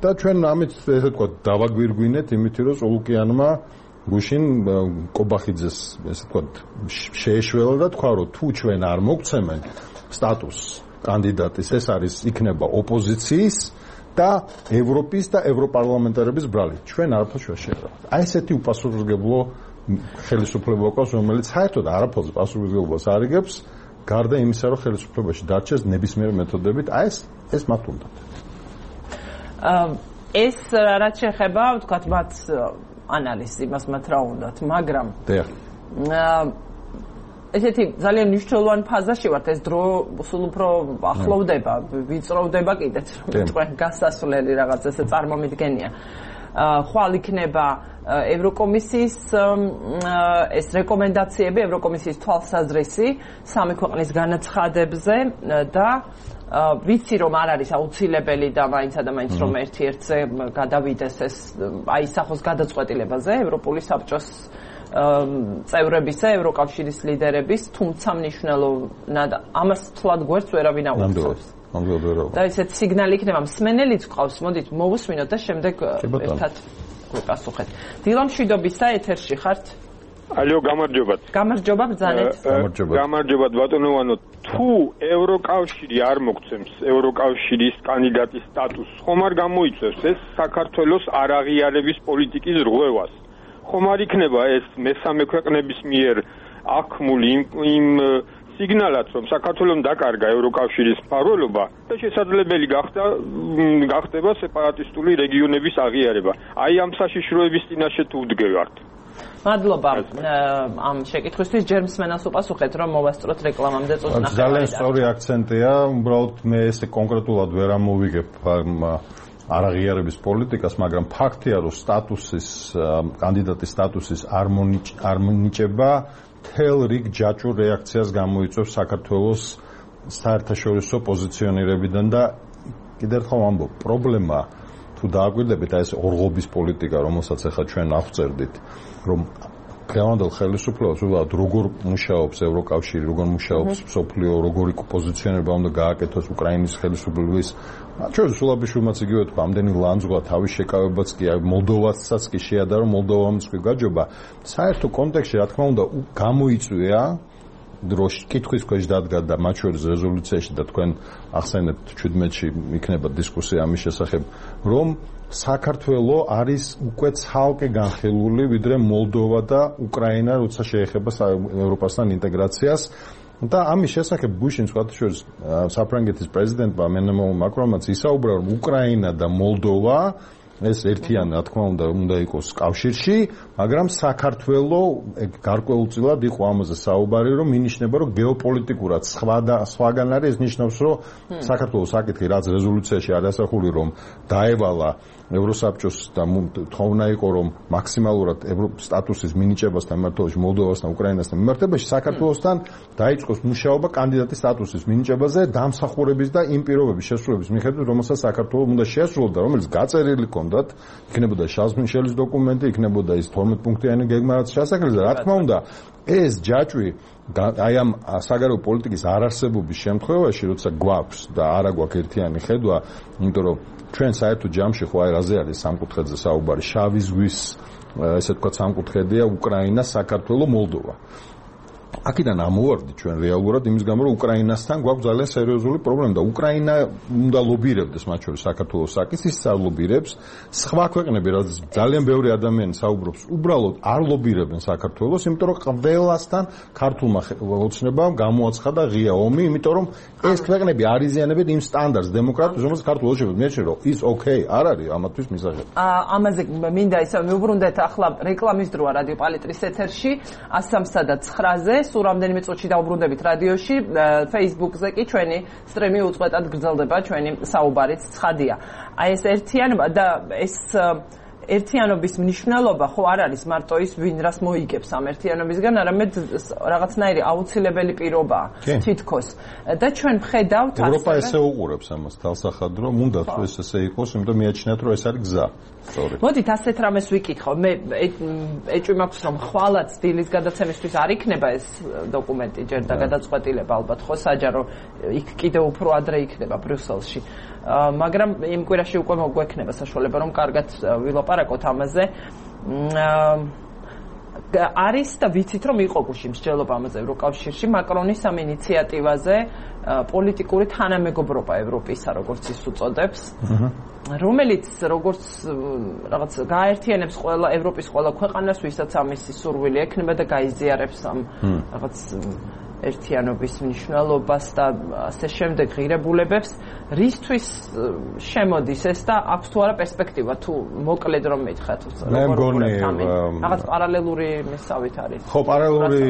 Speaker 5: და ჩვენ ამით ესე თქვა დავაგვირგვინეთ იმით, რომ სულუკიანმა გუშინ ყობახიძეს ესე თქვა შეეშველა და თქვა, რომ თუ ჩვენ არ მოგცემენ სტატუსს კანდიდატის, ეს არის იქნება ოპოზიციის და ევროპის და ევროპარლამენტარების ბრალი. ჩვენ არაფერს ვერ შევერავთ. აი ესეთი უპასუხისმგებლო ხელისუფლება გვაქვს, რომელიც საერთოდ არაფერს პასუხისმგებლობას არ იგებს, გარდა იმისა, რომ ხელისუფლებაში დარჩეს ნებისმიერ მეთოდებით, აი ეს ეს მათ უნდა.
Speaker 1: ეს რაც შეეხება, ვთქვათ, მათ ანალიზს იმას მათ რა უნდათ, მაგრამ ესეთი ძალიან მნიშვნელოვანი ფაზაში ვართ, ეს დრო სულ უფრო ახლოვდება, ვიწროვდება კიდეც, რომ თქვენ გასასვლელი რაღაც ესე წარმომიდგენია. ხვალ იქნება ევროკომისიის ეს რეკომენდაციები, ევროკომისიის თვალსაზრისი სამი ქვეყნის განაცხადებებზე და ვიცი რომ არ არის აუცილებელი და მაინც და მაინც რომ ერთ-ერთზე გადავიდეს ეს აი სახოს გადაწყვეტილებაზე ევროპული საბჭოს წევრებისა, ევროკავშირის ლიდერების, თუმცა მნიშვნელოვნად ამას თლად გვერდს ვერავინ აუწევს. და ესეთ სიგნალი იქნება, მსმენელიც ყავს, მოდით მოვუსმინოთ და შემდეგ ერთად გვიპასუხეთ. დილა მშვიდობისა, ეთერში ხართ?
Speaker 6: ალო, გამარჯობათ.
Speaker 1: გამარჯობა ბრძანეთ.
Speaker 6: გამარჯობათ ბატონოვანო, თუ ევროკავშირი არ მოგცემს ევროკავშირის კანდიდატის სტატუსს, ხომ არ გამოიწევს ეს საქართველოს არაღიარების პოლიტიკის რღვევას? ხომ არ იქნება ეს მესამე ქვეყნების მიერ აღქმული იმ სიგნალად, რომ საქართველოს დაკარგა ევროკავშირის მფარველობა და შესაძლებელი გახდა გახდება სეპარატისტული რეგიონების აღიარება. აი ამ საშიშროების წინაშე თუ ვდგევართ.
Speaker 1: მადლობა ამ შეკითხვისთვის. ჯერ მსმენელს უპასუხეთ, რომ მოვასწროთ რეკლამამდე წუთი ნახევარი.
Speaker 5: ძალიან სწორი აქცენტია, უბრალოდ მე ესე კონკრეტულად ვერ ამოვიგებ არაღიარების პოლიტიკას, მაგრამ ფაქტია, რომ სტატუსის კანდიდატის სტატუსის არ მონიჭება თელ რიგ ჯაჭვურ რეაქციას გამოიწვევს საქართველოს საერთაშორისო პოზიციონირებიდან და კიდევ ერთხელ ვამბობ, პრობლემა თუ დააკვირდებით აი ეს ორღობის პოლიტიკა, რომელსაც ახლა ჩვენ აღწერდით, რომ დღევანდელ ხელისუფლებას უბრალოდ როგორ მუშაობს ევროკავშირი, როგორ მუშაობს მსოფლიო, როგორი პოზიციონირება უნდა გააკეთოს უკრაინის ხელისუფლების. ჩვენ სულაბიშვილმაც იგივე თქვა, ამდენი ლანძღვა, თავის შეკავებაც კი, მოლდოვასაც კი შეადარო, მოლდოვამაც კი გაჯობა. საერთო კონტექსტში, რა თქმა უნდა, გამოიწვია დროში კითხვის ქვეშ დადგა და მათ შორის რეზოლუციაში და თქვენ ახსენებთ ჩვიდმეტში იქნება დისკუსია ამის შესახებ, რომ საქართველო არის უკვე ცალკე განხილული, ვიდრე მოლდოვა და უკრაინა, როცა შეეხება ევროპასთან ინტეგრაციას. და ამის შესახებ ბუშინ სხვათა შორის საფრანგეთის პრეზიდენტმა ემანუელ მაკრონმაც ისაუბრა, რომ უკრაინა და მოლდოვა ეს ერთიანი, რა თქმა უნდა, უნდა იყოს კავშირში, მაგრამ საქართველო გარკვეულწილად იყო ამაზე საუბარი, რომ მინიშნება, რომ გეოპოლიტიკურად სხვა და სხვაგან არის, ეს ნიშნავს, რომ საქართველოს საკითხი, რაც რეზოლუციაში არის ასახული, რომ დაევალა ევროსაბჭოს და თხოვნა იყო, რომ მაქსიმალურად სტატუსის მინიჭებასთან მიმართებაში მოლდოვასთან, უკრაინასთან მიმართებაში საქართველოსთან დაიწყოს მუშაობა კანდიდატის სტატუსის მინიჭებაზე დამსახურების და იმ პირობების შესრულების მიხედვით, რომელსაც საქართველოს უნდა შეასრულოს და რომელიც გაწერილი ჰქონდათ, იქნებოდა შარლს მიშელის დოკუმენტი, იქნებოდა ის თორმეტ პუნქტიანი გეგმა, რაც შეასახელეს და რა თქმა უნდა, ეს ჯაჭვი აი ამ საგარეო პოლიტიკის არარსებობის შემთხვევაში, როცა გვაქვს და არა გვაქვს ერთიანი ხედვა, იმიტომ რომ ჩვენ საერთო ჯამში ხო აი რაზე არის სამკუთხედზე საუბარი, შავი ზღვის ესე ვთქვათ სამკუთხედია უკრაინა, საქართველო, მოლდოვა. აქედან ამოვარდით ჩვენ რეალურად იმის გამო, რომ უკრაინასთან გვაქვს ძალიან სერიოზული პრობლემა და უკრაინა უნდა ლობირებდეს მათ შორის საქართველოს საკითხს, ის არ ლობირებს. სხვა ქვეყნები, რაც ძალიან ბევრი ადამიანი საუბრობს, უბრალოდ არ ლობირებენ საქართველოს, იმიტომ რომ ყველასთან ქართულმა ოცნებამ გამოაცხადა ღია ომი, იმიტომ რომ ეს ქვეყნები არ იზიანებენ იმ სტანდარტს დემოკრატიის, რომელსაც ქართულს შეგვიძლია. მე შეიძლება ის ოკეი არ არის ამათთვის მისაღები.
Speaker 1: ამაზე მინდა ისე მივუბრუნდეთ ახლა რეკლამის დროა რადიო პალიტრის ეთერში ათს სამსა და ცხრაზე. სულ რამდენიმე წუთში დავუბრუნდებით რადიოში, Facebook-ზე კი ჩვენი სტრიმი უწყვეტად გრძელდება, ჩვენი საუბარიც ცხადია. აი ეს ერთიანობა და ეს ერთიანობის მნიშვნელობა ხო არ არის მარტო ის ვინ რას მოიგებს ამ ერთიანობისგან, არამედ რაღაცნაირი აუცილებელი პირობაა თითქოს. და ჩვენ ვხედავთ
Speaker 5: ასე ევროპა ესე უყურებს ამას თალსახად, რომ უნდა თუ ეს ესე იყოს, იმიტომ მიაჩნიათ, რომ ეს არის გზა. სწორი.
Speaker 1: მოდით ასეთ რამეს ვიკითხო. მე ეჭვი მაქვს, რომ ხვალაც დილის გადაცემისთვის არ იქნება ეს დოკუმენტი ჯერ და გადაწყვეტილება ალბათ ხო საჯარო იქ კიდევ უფრო ადრე იქნება ბრიუსელში. მაგრამ იმ კვირაში უკვე მოგვექნება საშუალება, რომ კარგად ვილაპარაკოთ ამაზე. არის და ვიცით რომ იყო გუშინ მსჯელობა ამაზე ევროკავშირში მაკრონის ამ ინიციატივაზე პოლიტიკური თანამეგობრობა ევროპისა როგორც ის უწოდებს რომელიც როგორც რაღაც გააერთიანებს ყველა ევროპის ყველა ქვეყანას ვისაც ამისი სურვილი ექნება და გაიზიარებს ამ რაღაც ერთიანობის მნიშვნელობას და ასე შემდეგ ღირებულებებს რისთვის შემოდის ეს და აქვს თუ არა პერსპექტივა თუ მოკლედ რომ მითხრათ რაღაც პარალელური მისავით არის
Speaker 5: ხო პარალელური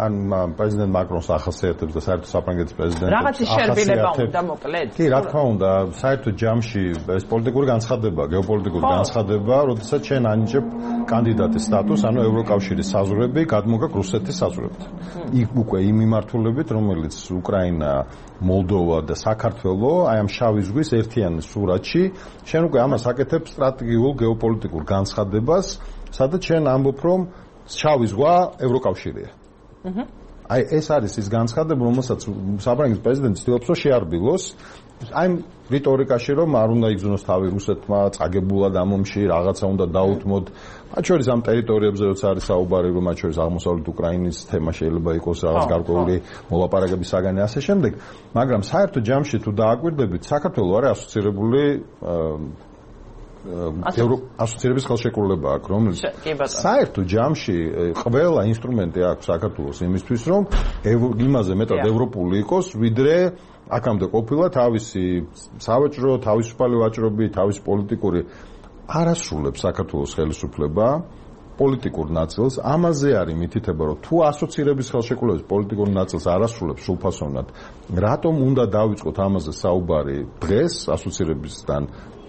Speaker 5: ან პრეზიდენტ მაკრონს ახასიათებს და საერთოდ საფრანგეთის პრეზიდენტს
Speaker 1: რაღაცი შერბილება უნდა მოკლედ
Speaker 5: კი რა თქმა უნდა საერთოდ ჯამში ეს პოლიტიკური განცხადება გეოპოლიტიკური განცხადება როდესაც ჩვენ ანიჭებ კანდიდატის სტატუსს ანუ ევროკავშირის საზღვრები გადმოგაქვს რუსეთის საზღვრებთან იქ უკვე იმ მიმართულებით რომელიც უკრაინა მოლდოვა და საქართველო აი ამ შავი ზღვის ერთიან სურათში ჩვენ უკვე ამას აკეთებ სტრატეგიულ გეოპოლიტიკურ განცხადებას სადაც ჩვენ ამბობ რომ შავი ზღვა ევროკავშირია აი ეს არის ის განცხადება რომელსაც საფრანგეთის პრეზიდენტი ცდილობს რომ შეარბილოს აი რიტორიკაში რომ არ უნდა იგზნოს თავი რუსეთმა წაგებულად ამ ომში რაღაცა უნდა დაუთმოთ მათ შორის ამ ტერიტორიებზე როცა არის საუბარი რომ მათ შორის აღმოსავლეთ უკრაინის თემა შეიძლება იყოს რაღაც გარკვეული მოლაპარაკების საგანი ასე შემდეგ მაგრამ საერთო ჯამში თუ დააკვირდებით საქართველო არის ასოცირებული ასოცირების ხელშეკრულება აქვს რომელიც საერთო ჯამში ყველა ინსტრუმენტი აქვს საქართველოს იმისთვის რომ იმაზე მეტად ევროპული იყოს ვიდრე აქამდე ყოფილა თავისი სავაჭრო თავისუფალი ვაჭრობი თავისი პოლიტიკური არასრულებს საქართველოს ხელისუფლება პოლიტიკურ ნაწილს ამაზე არის მითითება რომ თუ ასოცირების ხელშეკრულების პოლიტიკურ ნაწილს არასრულებს სრულფასოვნად რატომ უნდა დავიწყოთ ამაზე საუბარი დღეს ასოცირებისგან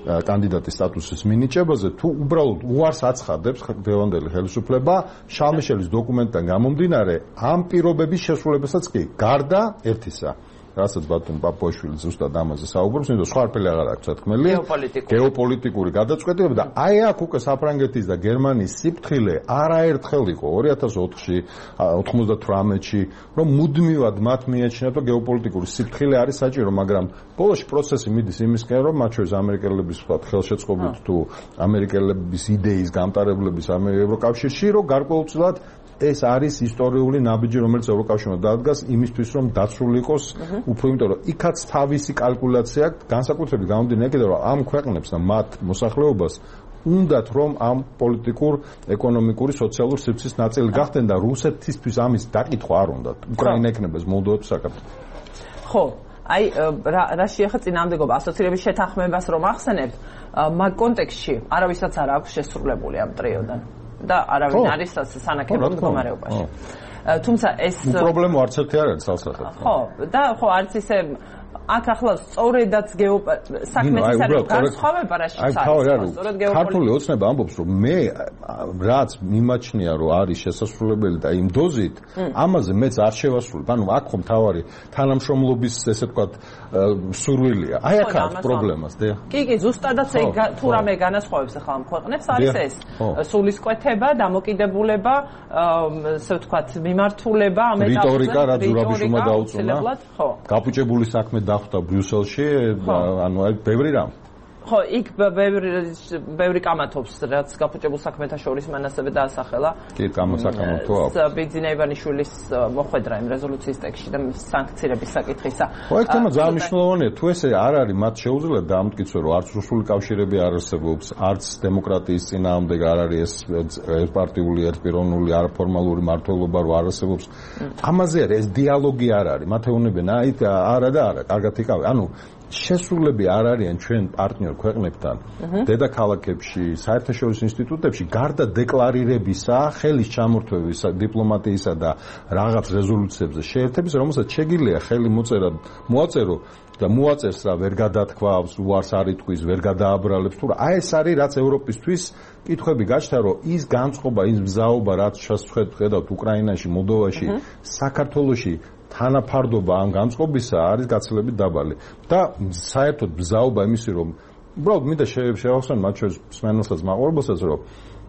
Speaker 5: კანდიდატის სტატუსის მინიჭებაზე თუ უბრალოდ უარს აცხადებს დღევანდელი ხელისუფლება შალ-მიშელის დოკუმენტიდან გამომდინარე ამ პირობების შესრულებასაც კი გარდა ერთისა რასაც ბატონ პაპუაშვილი ზუსტად ამაზე საუბრობს, იმიტომ სხვა არაფერი აღარ აქვს თქმელი. გეოპოლიტიკური გადაწყვეტილება და აი აქ უკვე საფრანგეთის და გერმანიის სიფრთხილე არაერთხელ იყო ორი ათას ოთხში, ოთხმოცდათვრამეტში, რომ მუდმივად მათ მიაჩნიათ, რომ გეოპოლიტიკური სიფრთხილე არის საჭირო, მაგრამ ბოლოს პროცესი მიდის იმისკენ, რომ მათ შორის ამერიკელების ვთქვათ ხელშეწყობით თუ ამერიკელების იდეის გამტარებლების ამ ევროკავშირში, რომ გარკვეულწილად ეს არის ისტორიული ნაბიჯი, რომელიც ევროკავშირმა დაადგას იმისთვის, რომ დაცული იყოს უფრო, იმიტომ რომ იქაც თავისი კალკულაცია აქვს, განსაკუთრებით გამომდინარე იქიდან, რომ ამ ქვეყნებს და მათ მოსახლეობას უნდათ რომ ამ პოლიტიკურ, ეკონომიკური, სოციალური სივრცის ნაწილი გახდნენ და რუსეთისთვის ამის დაკითხვა არ უნდათ. უკრაინა ექნება ეს მოლდოვა თუ საქართველო.
Speaker 1: ხო, აი რა შეეხება წინააღმდეგობა ასოცირების შეთანხმებას რომ ახსენებთ, მაგ კონტექსტში არავისაც არ აქვს შესრულებული ამ ტრიოდან. და არავინ არის სანაკებო მდგომარეობაში. თუმცა ეს
Speaker 5: პრობლემა არც ერთი არ არის სასახელო.
Speaker 1: ხო, და ხო არც ისე აქ ახლა სწორედაც საქმეც არის განსხვავება რა შეიძლება.
Speaker 5: სწორედ ქართული ოცნება ამბობს რომ მე რაც მიმაჩნია რომ არის შესასრულებელი და იმ დოზით ამაზე მეც არ შევასრულებ. ანუ აქ ხომ თავარი თანამშრომლობის ესე ვთქვათ სურვილია. აი აქ არის პრობლემას და
Speaker 1: კი კი ზუსტადაც თუ რამე განასხვავებს ახლა ამ ქვეყნებს არის ეს სულისკვეთება, დამოკიდებულება, ესე ვთქვათ მიმართულება ამ ეტაპზე
Speaker 5: რიტორიკა რაც ზურაბიშვილმა დაუწუნა. გაფუჭებული საქმე დახვდა ბრიუსელში, ანუ აი ბევრი რამ.
Speaker 1: ხო, იქ ბევრი ბევრი კამათობს, რაც გაფუჭებულ საქმეთა შორის მან ასევე დაასახელა.
Speaker 5: კი, კამათსაკამათო აქვს.
Speaker 1: ბიძინა ივანიშვილის მოხვედრა იმ რეზოლუციის ტექსტში და სანქციების საკითხისა.
Speaker 5: ხო, ეს თემა ძალიან მნიშვნელოვანია. თუ ესე არ არის, მათ შეუძლია დაამტკიცო, რომ არც რუსული კავშირები არ არსებობს, არც დემოკრატიის წინააღმდეგ არ არის ეს ერთპარტიული, ერთპიროვნული, არაფორმალური მმართველობა რო არ არსებობს. ამაზე არის ეს დიალოგი არ არის. მათ ეუბნებიან, აი არა და არა, კარგად იკავე. ანუ შესრულები არ არიან ჩვენ პარტნიორ ქვეყნებთან დედაქალაქებში, საერთაშორისო ინსტიტუტებში, გარდა დეკლარირებისა, ხელის ჩამორთმევისა, დიპლომატიისა და რაღაც რეზოლუციებზე შეერთების, რომელსაც შეგიძლია ხელი მოწერა, მოაწერო და მოაწერს რა ვერ გადათქვავს, უარს არ იტყვის, ვერ გადააბრალებს თუ რა. აი ეს არის რაც ევროპისთვის კითხვები გაჩნდა, რომ ის განწყობა, ის მზაობა, რაც შეხედავთ უკრაინაში, მოლდოვაში, საქართველოში თანაფარდობა ამ განწყობისა არის გაცილებით დაბალი და საერთოდ ბზაობა იმისი რომ უბრალოდ მინდა შევახსენო მათ შორის სმენელსაც მაყურებელსაც რომ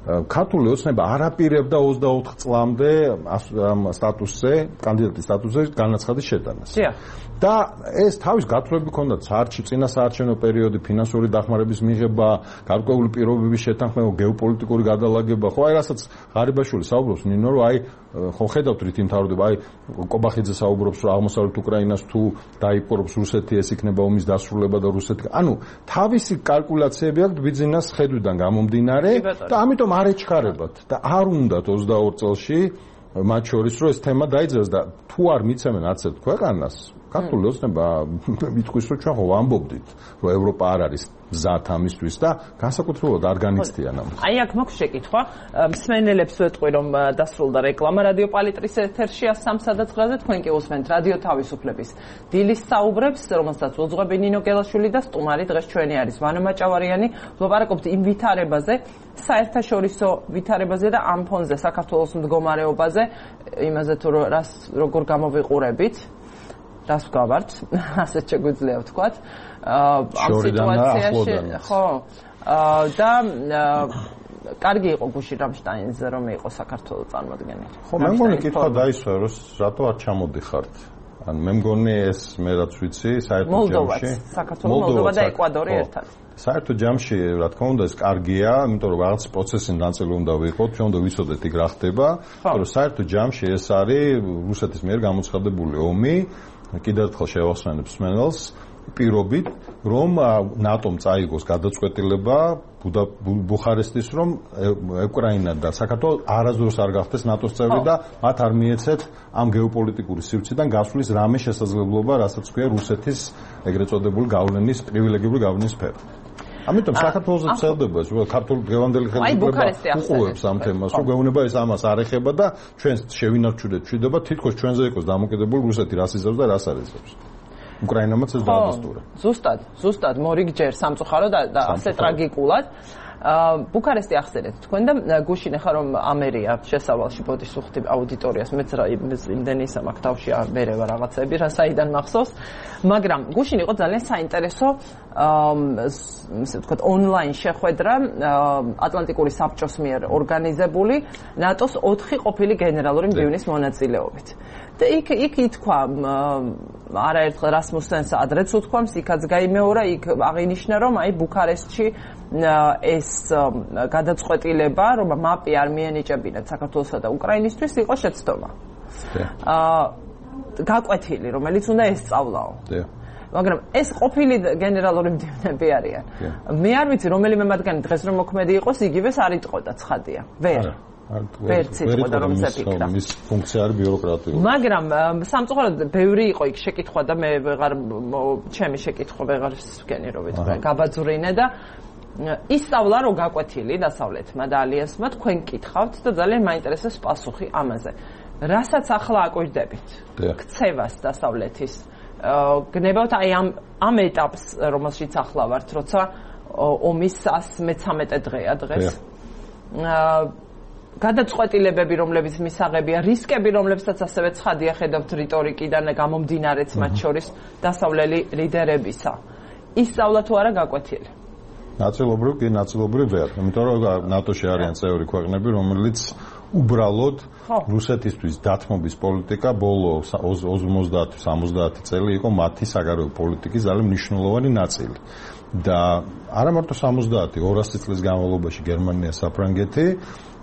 Speaker 5: ქართული ოცნება არ აპირებდა ოცდაოთხ წლამდე ამ სტატუსზე, კანდიდატის სტატუსზე განაცხადის შეტანას. და ეს თავის გათვლები ჰქონდათ საარჩევნო წინა საარჩევნო პერიოდი, ფინანსური დახმარების მიღება, გარკვეული პირობების შეთანხმება, გეოპოლიტიკური გადალაგება. ხო, აი რასაც ღარიბაშვილი საუბრობს ნინო, რომ აი ხო ხედავთ რითი მთავრდება, აი კობახიძე საუბრობს, რომ აღმოსავლეთ უკრაინას თუ დაიპყრობს რუსეთი, ეს იქნება ომის დასრულება და რუსეთი. ანუ თავისი კალკულაციები აქვს ბიძინას ხედვიდან გამომდინარე და ამიტომ არ ეჩქარებათ და არ უნდათ ოცდაორ წელში მათ შორის რომ ეს თემა დაიძრას და თუ არ მიცემენ არც ერთ ქვეყანას ქართული ოცნება მithquis რომ ჩვენ ხო ვამბობდით რომ ევროპა არ არის მზად ამისთვის და განსაკუთრებულად არ განიცდიან ამას.
Speaker 1: აი აქ მაქვს შეკითხვა, მსმენელებს ვეტყვი რომ დასრულდა რეკლამა რადიო პალიტრის ეთერში სამ სადაწყრაზე, თქვენ კი უსმენთ რადიო თავისუფლების დილის საუბრებს, რომელსაც უძღვები ნინო გელაშვილი და სტუმარი დღეს ჩვენი არის ვანო მაჭავარიანი. ვლაპარაკობთ იმ ვითარებაზე, საერთაშორისო ვითარებაზე და ამ ფონზე საქართველოს მდგომარეობაზე, იმაზე თუ რას როგორ გამოვიყურებით. რას გავართ, ასეთ შეგვიძლია ვთქვათ. ამ სიტუაციაში, ხო, და კარგი იყო გუში რამშტაინზე რომ იყო საქართველოს წარმომადგენელი.
Speaker 5: ხო, მე მგონი კითხვა დაისვა, რომ რატო არ ჩამოდიხართ? ან მე მგონი ეს მე რაც ვიცი, საერთო ჯამში,
Speaker 1: საქართველოს, მოლდოვა და ეკვადორი ერთად.
Speaker 5: საერთო ჯამში, რა თქმა უნდა, ეს კარგია, იმიტომ რომ რაღაც პროცესის ნაწილი უნდა ვიყოთ, ჩვენ უნდა ვიცოდეთ იქ რა ხდება, რომ საერთო ჯამში ეს არის რუსეთის მიერ გამოცხადებული ომი. კიდევ ერთხელ შევახსენებ მსმენელს პირობით რომ ნატომ წაიგოს გადაწყვეტილება ბუხარესტის რომ უკრაინა და საქართველო არასდროს არ გახდეს ნატოს წევრი და მათ არ მიეცეთ ამ გეოპოლიტიკური სივრციდან გასვლის რამე შესაძლებლობა, რასაც ქვია რუსეთის ეგრეთ წოდებული გავლენის პრივილეგიური გავლენის სფერო. ამიტომ საქართველოს წელდება, რომ ქართული დღევანდელი ხელისუფლება უყურებს ამ თემას, რომ გვეუბნება ეს ამას არ ეხება და ჩვენ შევინარჩუნეთ მშვიდობა, თითქოს ჩვენზე იყოს დამოკიდებული რუსეთი რას იზრავს და რას არ იზრავს. უკრაინამაც ეს დაადასტურა.
Speaker 1: ზუსტად, ზუსტად მორიგჯერ სამწუხაროდ და ასე ტრაგიკულად. ბუქარესტი ახსენეთ თქვენ და გუშინ ახლა რომ ამერია შესავალში ბოდის უხდი აუდიტორიას მეც რა იმდენი სამაკ თავში მერევა რაღაცები რა საიდან მახსოვს მაგრამ გუშინ იყო ძალიან საინტერესო ასე ვთქვათ ონლაინ შეხვედრა ატლანტიკური საბჭოს მიერ ორგანიზებული ნატოს ოთხი ყოფილი გენერალური მდივნის მონაწილეობით და იქ იქ ითქვა არაერთხელ რასმუსენს ადრეც უთქვამს იქაც გაიმეორა იქ აღინიშნა რომ აი ბუქარესტში ეს გადაწყვეტილება რომ მაპი არ მიენიჭებინათ საქართველოსა და უკრაინისთვის იყო შეცდომა. აა გაკვეთილი რომელიც უნდა ესწავლაო. მაგრამ ეს ყოფილი გენერალური მდივნები არიან. მე არ ვიცი რომელიმე მათგანი დღეს რომ მოქმედი იყოს იგივეს არ იტყოდა ცხადია. ვერ ვერც იტყოდა რომ ზეპიკრა.
Speaker 5: მის ფუნქცია არის ბიუროკრატიული.
Speaker 1: მაგრამ სამწუხაროდ ბევრი იყო იქ შეკითხვა და მე ვეღარ ჩემი შეკითხვა ვეღარ ვსვქენი რომ ვიტყვი გაბაძვრინე და ისწავლა რომ გაკვეთილი დასავლეთმა და ალიანსმა თქვენ კითხავთ და ძალიან მაინტერესებს პასუხი ამაზე. რასაც ახლა აკვირდებით? ქცევას დასავლეთის. გნებავთ აი ამ ამ ეტაპს რომელშიც ახლა ვართ, როცა ომის მესამე დღეა დღეს. გადაწყვეტილებები რომლებიც მისაღებია, რისკები რომლებსაც ასევე ცხადია ხედავთ რიტორიკიდან გამომდინარეც მათ შორის დასავლელი ლიდერებისა. ისწავლა თუ არა გაკვეთილი?
Speaker 5: ნაწილობრივ კი ნაწილობრივ ვერ, იმიტომ რომ ნატოში არიან წევრი ქვეყნები, რომელიც უბრალოდ რუსეთისთვის დათმობის პოლიტიკა ბოლო ოცდაათი სამოცდაათი წელი იყო მათი საგარეო პოლიტიკის ძალიან მნიშვნელოვანი ნაწილი. და არა მარტო სამოცდაათი, ორასი წლის განმავლობაში გერმანია, საფრანგეთი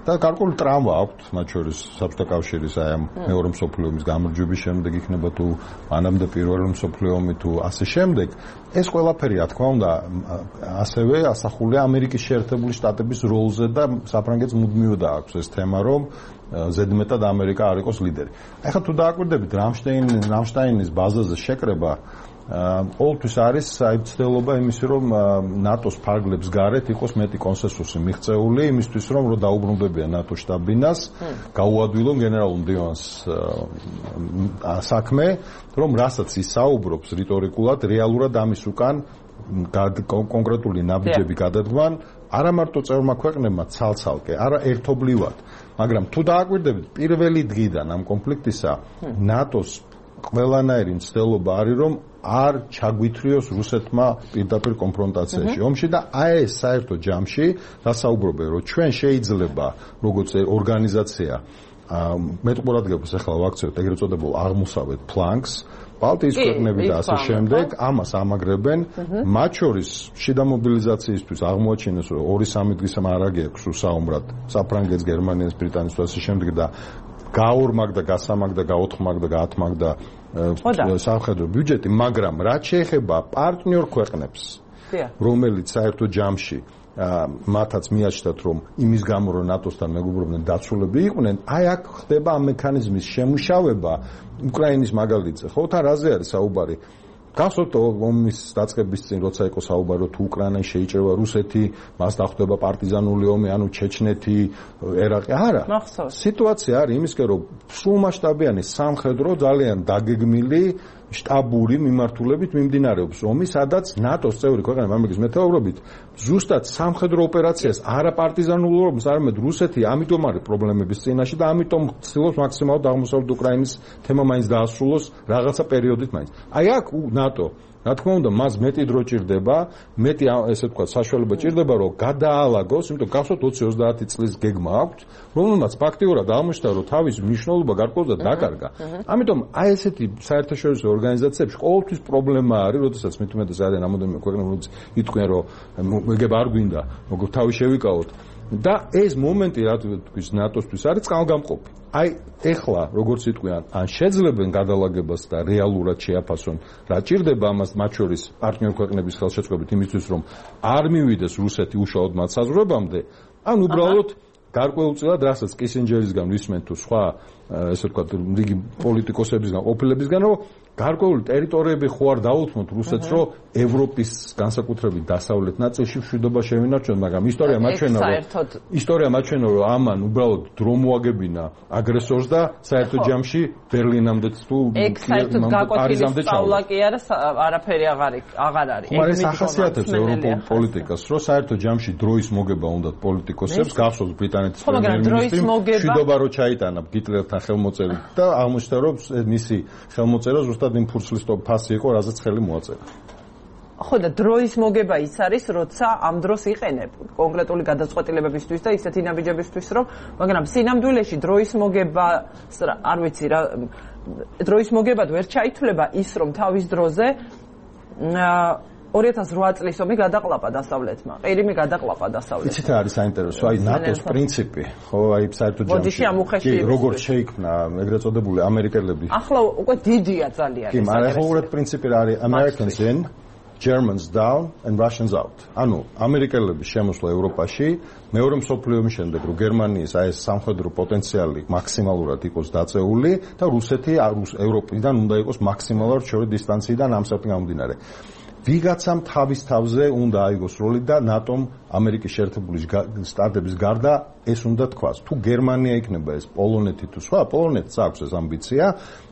Speaker 5: და გარკვეული ტრავმა აქვთ, მათ შორის საბჭოთა კავშირის აი ამ მეორე მსოფლიო ომის გამარჯვების შემდეგ იქნება თუ მანამდე პირველი მსოფლიო ომი თუ ასე შემდეგ. ეს ყველაფერი, რა თქმა უნდა, ასევე ასახულია ამერიკის შეერთებული შტატების როლზე და საფრანგეთს მუდმივად აქვს ეს თემა, რომ ზედმეტად ამერიკა არ იყოს ლიდერი. ახლა თუ დააკვირდებით რამშტაინ რამშტაინის ბაზაზე შეკრება ყოველთვის არის აი ცდელობა იმისი რომ ნატოს ფარგლებს გარეთ იყოს მეტი კონსენსუსი მიღწეული იმისთვის რომ რო დაუბრუნდებიან ნატო შტაბ-ბინას გაუადვილონ გენერალურ მდივანს საქმე რომ რასაც ისაუბრობს რიტორიკულად რეალურად ამის უკან კონკრეტული ნაბიჯები გადადგმან არა მარტო წევრმა ქვეყნებმა ცალ-ცალკე არა ერთობლივად მაგრამ თუ დააკვირდებით პირველი დღიდან ამ კონფლიქტისა ნატოს ყველანაირი მცდელობა არის რომ არ ჩაგვითრიოს რუსეთმა პირდაპირ კონფრონტაციაში ომში და აი ეს საერთო ჯამში დასაუბრობენ რომ ჩვენ შეიძლება როგორც ორგანიზაცია მეტყურადღებას ახლა ვაქცევთ ეგრეთ წოდებულ აღმოსავლეთ ფლანგს ბალტიის ქვეყნები და ასე შემდეგ ამას ამაგრებენ მათ შორის შიდა მობილიზაციისთვის აღმოაჩინეს რომ ორი სამი დღის მარაგი აქვს უსაუმრად საფრანგეთს გერმანიას ბრიტანეთს და ასე შემდეგ და გაორმაგდა გასამაგდა გაოთხმაგდა გაათმაგდა სამხედრო ბიუჯეტი მაგრამ რაც შეეხება პარტნიორ ქვეყნებს რომელიც საერთო ჯამში მათაც მიაჩნდათ რომ იმის გამო რომ ნატოსთან მეგობრობდნენ დაცულები იყვნენ აი აქ ხდება ამ მექანიზმის შემუშავება უკრაინის მაგალითზე ხო თან რაზე არის საუბარი გასვოთ ომის დაწყების წინ როცა იყო საუბარი თუ უკრაინა შეიჭრება რუსეთი მას დახვდება პარტიზანული ომი ანუ ჩეჩნეთი ერაყი არა სიტუაცია არის იმისკენ რომ სრულმასშტაბიანი სამხედრო ძალიან დაგეგმილი შტაბური მიმართულებით მიმდინარეობს ომი, სადაც ნატოს წევრი ქვეყნები ამერიკის მეთაურობით ზუსტად სამხედრო ოპერაციას არა პარტიზანულ ომს, არამედ რუსეთი ამიტომ არის პრობლემების წინაშე და ამიტომ ცდილობს მაქსიმალურად აღმოსავლეთ უკრაინის თემა მაინც დაასრულოს რაღაცა პერიოდით მაინც. აი აქ ნატო რა თქმა უნდა, მას მეტი დრო ჭირდება, მეტი ესე ვთქვათ, საშუალება ჭირდება, რომ გადაალაგოს, იმიტომ გახსოვთ ოცი ოცდაათი წლის გეგმა აქვს, რომელმაც ფაქტიურად აღმოჩნდა, რომ თავის მნიშვნელობა გარკვეულწილად დაკარგა. ამიტომ აი ესეთი საერთაშორისო ორგანიზაციებში ყოველთვის პრობლემა არის, როდესაც მით უმეტეს არიან რამოდენიმე ქვეყნები, რომელიც იტყვიან, რომ ეგ არ გვინდა, როგორ თავი შევიკავოთ. და ეს მომენტი რა თქვის ნატოსთვის არის წყალგამყოფი. აი ეხლა როგორც იტყვიან, ან შეძლებენ გადალაგებას და რეალურად შეაფასონ, რა ჭირდება ამას მათ შორის პარტნიორ ქვეყნების ხელშეწყობით იმისთვის, რომ არ მივიდეს რუსეთი უშუალოდ მათ საზღვრებამდე, ან უბრალოდ გარკვეულწილად რასაც კისინჯერისგან ვისმენთ თუ სხვა ესე ვთქვათ რიგი პოლიტიკოსებისგან, ყოფილებისგან, რომ გარკვეული ტერიტორიები ხო არ დაუთმოთ რუსეთს, რომ ევროპის განსაკუთრებით დასავლეთ ნაწილში მშვიდობა შევინარჩუნოთ, მაგრამ ისტორია მაჩვენა, რომ ისტორია მაჩვენა, რომ ამან უბრალოდ დრო მოაგებინა აგრესორს და საერთო ჯამში ბერლინამდე თუ პარიზამდე
Speaker 1: ჩავლა. კი არა, არაფერი აღარ აღარ არის.
Speaker 5: მაგრამ ეს ახასიათებს ევროპულ პოლიტიკას, რომ საერთო ჯამში დროის მოგება უნდა პოლიტიკოსებს, გახსოვს ბრიტანეთის პრემიერ-მინისტრი მშვიდობა რო ჩაიტანა ჰიტლერთან ხელმოწერით და აღმოჩნდა, რომ მისი ხელმოწერა ზუსტად იმ ფურცლის ფასი იყო, რაზეც ხელი მოაწერა.
Speaker 1: ხო და დროის მოგება ის არის, როცა ამ დროს იყენებ კონკრეტული გადაწყვეტილებებისთვის და ისეთი ნაბიჯებისთვის, რომ მაგრამ სინამდვილეში დროის მოგება არ ვიცი რა დროის მოგებად ვერ ჩაითვლება ის, რომ თავის დროზე ორი ათას რვა წლის ომი გადაყლაპა დასავლეთმა. ყირიმი გადაყლაპა დასავლეთმა.
Speaker 5: იცით რა არის საინტერესო? აი ნატოს პრინციპი, ხო, აი საერთო ჯამში. როგორც შეიქმნა ეგრეთ წოდებული ამერიკელები.
Speaker 1: ახლა უკვე დიდია ძალიან.
Speaker 5: კი, მაგრამ ახლა უბრალოდ პრინციპი რა არის? Americans in, Germans down and Russians out. ანუ ამერიკელების შემოსვლა ევროპაში მეორე მსოფლიო ომის შემდეგ, რომ გერმანიის აი ეს სამხედრო პოტენციალი მაქსიმალურად იყოს დაწეული და რუსეთი ევროპიდან უნდა იყოს მაქსიმალურად შორი დისტანციიდან ამ საფრთხიდან გამომდინარე. ვიღაცამ თავის თავზე უნდა აიგოს როლი და ნატომ ამერიკის შეერთებული შტატების გარდა ეს უნდა თქვას. თუ გერმანია იქნება ეს პოლონეთი თუ სხვა, პოლონეთს აქვს ეს ამბიცია,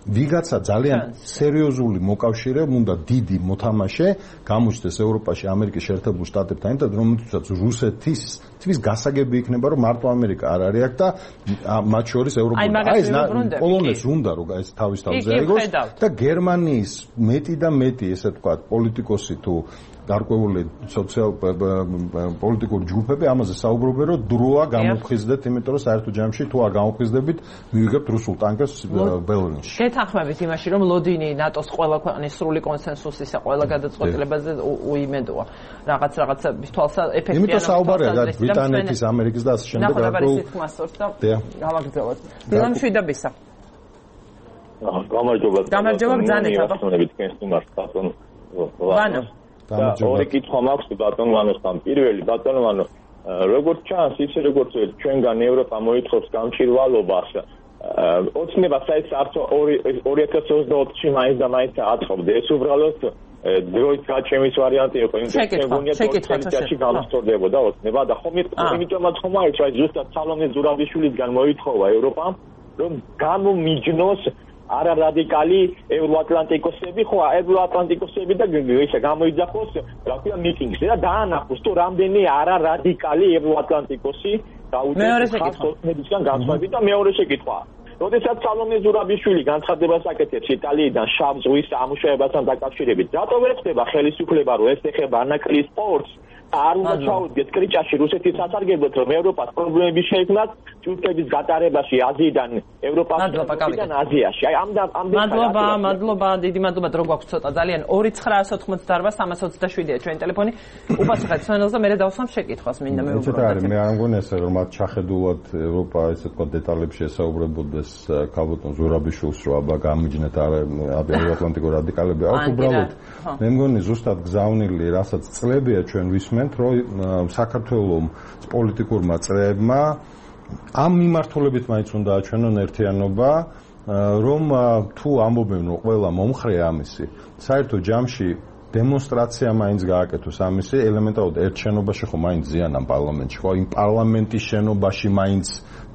Speaker 5: ვიღაცა ძალიან სერიოზული მოკავშირე უნდა დიდი მოთამაშე გამოჩნდეს ევროპაში ამერიკის შეერთებულ შტატებთან ერთად, რომელთაც რუსეთის თვის გასაგები იქნება, რომ მარტო ამერიკა არ არის აქ და მათ შორის ევროპული აი ეს პოლონეთს უნდა რომ ეს თავის თავზე აიგოს და გერმანიის მეტი და მეტი ესე ვთქვათ პოლიტიკოსი თუ გარკვეული სოციალ პოლიტიკური ჯგუფები ამაზე საუბრობენ, რომ დროა გამოფხიზდეთ, იმიტომ რომ საერთო ჯამში თუ არ გამოფხიზდებით, მივიღებთ რუსულ ტანკებს ბელრინში.
Speaker 1: გეთანხმებით იმაში, რომ ლოდინი ნატოს ყველა ქვეყნის სრული კონსენსუსისა ყველა გადაწყვეტილებაზე უიმედოა. რაღაც რაღაცების თვალსა ეფექტიანად.
Speaker 5: იმიტომ საუბარია რა ბრიტანეთის, ამერიკის და ასე შემდეგ
Speaker 1: გარკვეულ გამაგრძელოთ. დილამ შვიდობისა.
Speaker 7: გამარჯობა.
Speaker 1: გამარჯობა ბრძანეთ აბა.
Speaker 7: თქვენს თუმარს ბატონო. ვანო და ორი კითხვა მაქვს ბატონ ვანოსთან. პირველი ბატონ ვანო, როგორც ჩანს, ისე როგორც ჩვენგან ევროპა მოითხოვს გამჭირვალობას, ოცნება საერთოდ არც ორი ათას ოცდაოთხში მაინც და მაინც აწყობდე. ეს უბრალოდ დროის გაჩემის ვარიანტი იყო, იმიტომ რომ გონია თორცენტიაში გამოსწორდებოდა ოცნება და ხომ იმიტომაც ხომ არის, აი ზუსტად სალომე ზურაბიშვილისგან მოითხოვა ევროპამ, რომ გამომიჯნოს არა რადიკალი ევროატლანტიკოსები, ხო, ევროატლანტიკოსები და ისე გამოიძახოს, რა ქვია, მიტინგზე და დაანახოს, თუ რამდენი არა რადიკალი ევროატლანტიკოსი გაუწევს ხალხს ოცნებისგან განსხვავებით და მეორე შეკითხვა. როდესაც სალომე ზურაბიშვილი განცხადებას აკეთებს იტალიიდან შავ ზღვის სამუშაოებასთან დაკავშირებით, რატო ვერ ხდება ხელისუფლება, რომ ეს ეხება ანაკლის სპორტს? არ უნდა ჩაუდგეთ კრიჭაში რუსეთის სასარგებლოდ, რომ ევროპას პრობლემები შეექმნათ თურქეთის გატარებაში აზიიდან ევროპასთან აზიაში. აი ამ ამ
Speaker 1: მადლობა, მადლობა, დიდი მადლობა, დრო გვაქვს ცოტა ძალიან ორი ცხრაას ოთხმოცდაოთხ სამას ოცდაშვიდია ჩვენი ტელეფონი. უპასუხეთ სვენელზე, მე დავსვამ შეკითხვას, მინდა მეუბნებოდეთ.
Speaker 5: მე არ მგონია ესე რომ მათ ჩახედულად ევროპა ესე თქვა დეტალებში ესაუბრებოდეს ქალბატონ ზურაბიშვილს, რომ აბა გამიჯნეთ ევროატლანტიკურ რადიკალები. აქ უბრალოდ მე მგონი ზუსტად გზავნილი, რასაც წლებია ჩვენ ვისმენთ, რომ საქართველოს პოლიტიკურმა წრეებმა ამ მიმართულებით მაინც უნდა აჩვენონ ერთიანობა, რომ თუ ამბობენ რომ ყველა მომხრე ამისი, საერთო ჯამში დემონსტრაცია მაინც გააკეთოს ამისი, ელემენტარულად ერთ შენობაში ხო მაინც ზიან ამ პარლამენტში, ხო იმ პარლამენტის შენობაში მაინც